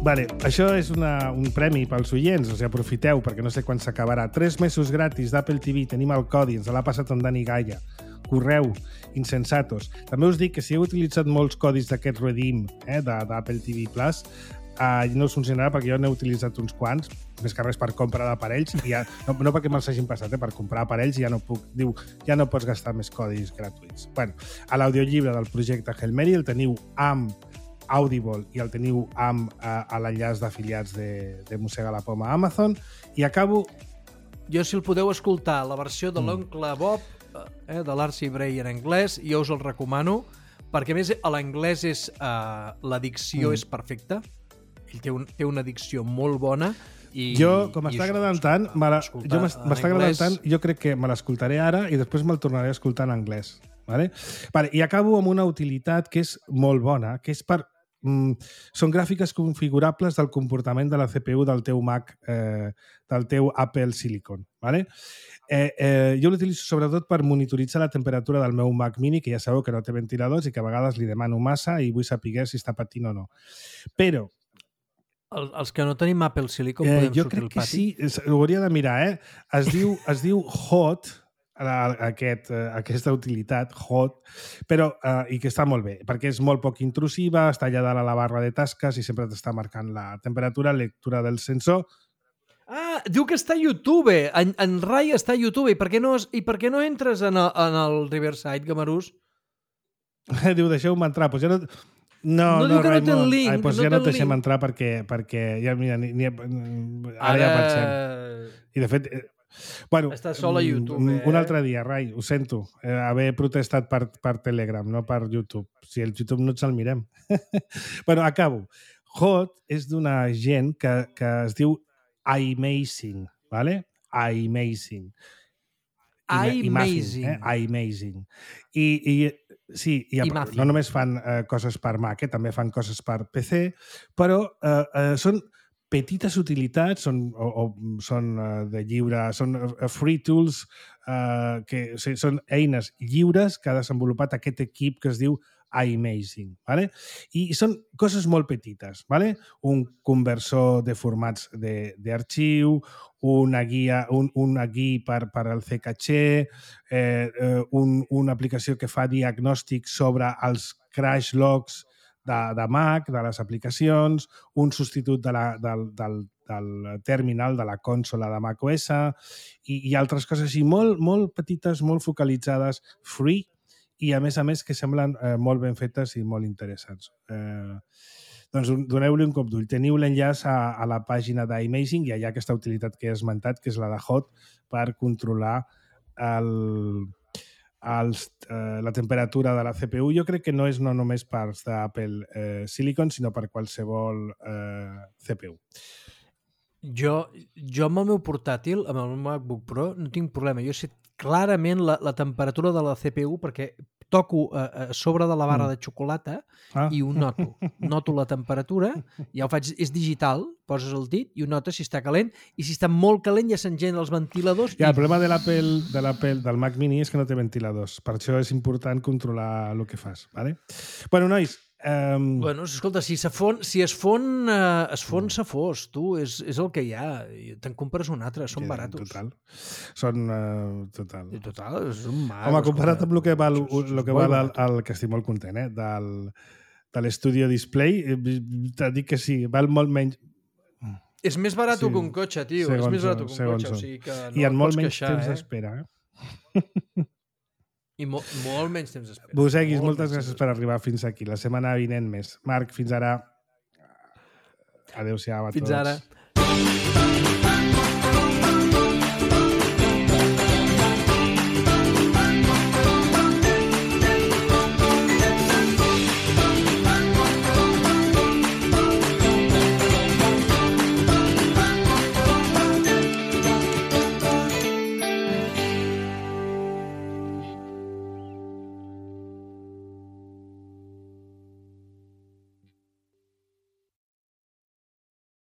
Vale, això és un premi pels oients, o sigui, aprofiteu, perquè no sé quan s'acabarà. 3 mesos gratis d'Apple TV, tenim el codi, ens l'ha passat en Dani Gaia. correu, insensatos. També us dic que si heu utilitzat molts codis d'aquest Redeem d'Apple TV Plus, no us funcionarà perquè jo n'he utilitzat uns quants, més que res per compra d'aparells, i ja, no perquè me'ls hagin passat, per comprar aparells ja no puc, diu, ja no pots gastar més codis gratuïts. Bueno, a l'audiollibre del projecte Hail Mary el teniu amb Audible i el teniu amb a l'enllaç d'afiliats de Mossega la Poma a Amazon, i acabo... Jo, si el podeu escoltar, la versió de l'oncle Bob, de l'Archie Bray en anglès, jo us el recomano, perquè a més l'anglès és... la dicció és perfecta, ell té una dicció molt bona i... Jo, com m'està agradant tant, jo crec que me l'escoltaré ara i després me'l tornaré a escoltar en anglès. Vale? I acabo amb una utilitat que és molt bona, que és per... són gràfiques configurables del comportament de la CPU del teu Mac, del teu Apple Silicon. Vale? Jo l'utilitzo sobretot per monitoritzar la temperatura del meu Mac Mini, que ja sabeu que no té ventiladors i que a vegades li demano massa i vull saber si està patint o no. Però els que no tenim Apple Silicon podem sortir al pati? Jo crec que sí, ho hauria de mirar, Es diu Hot, aquesta utilitat, Hot, però i que està molt bé, perquè és molt poc intrusiva, està allà dalt a la barra de tasques i sempre t'està marcant la temperatura, lectura del sensor. Diu que està a YouTube, en Rai està a YouTube, i per què no entres en el Riverside, Gamarús? Diu, deixeu-me entrar, doncs ja no... No diu que no té el link. Doncs ja no et deixem entrar perquè ja, mira, ara ja pensem. I de fet, bueno, està sol a YouTube. Un altre dia, Rai, ho sento, haver protestat per Telegram, no per YouTube. Si el YouTube no ens el mirem. Bueno, acabo. Hot és d'una gent que es diu iMazing, ¿vale? iMazing. iMazing. I sí, no només fan coses per Mac, també fan coses per PC, però són petites utilitats, són de lliure, són free tools, que són eines lliures que ha desenvolupat aquest equip que es diu iMazing, ¿vale? I són coses molt petites, ¿vale? Un conversor de formats d'arxiu, una guia per al C-Caché, una aplicació que fa diagnòstic sobre els crash logs de Mac, de les aplicacions, un substitut del terminal de la consola de macOS i altres coses així molt petites, molt focalitzades, free, i a més que semblen molt ben fetes i molt interessants. Doncs doneu-li un cop d'ull. Teniu l'enllaç a la pàgina d'iMazing i hi ha aquesta utilitat que he esmentat, que és la de Hot, per controlar la temperatura de la CPU. Jo crec que no és només parts d'Apple Silicon, sinó per qualsevol CPU. Jo amb el meu portàtil, amb el meu MacBook Pro, no tinc problema. Jo sé clarament la temperatura de la CPU perquè toco a sobre de la barra de xocolata i ho noto. Noto la temperatura, ja ho faig, és digital, poses el dit i ho notes si està calent, i si està molt calent ja s'engeguen els ventiladors. Ja, el problema del Mac Mini és que no té ventiladors. Per això és important controlar el que fas. Vale? Bueno, nois, bueno, escolta, si es fon, s'ha fos, tu, és el que hi ha. Te'n compres un altre, són baratos. Total. Total, són magos. Home, comparat amb el que val el que estic molt content, de l'Studio Display, t'ha dit que sí, val molt menys. És més barat que un cotxe, tio. És més barat que un cotxe, o sigui que no et pots queixar. I en molt menys temps d'espera, I molt menys temps d'espera. Moseguis, moltes gràcies per arribar fins aquí. La setmana vinent més. Marc, fins ara. Adéu-siau a tots. Fins ara.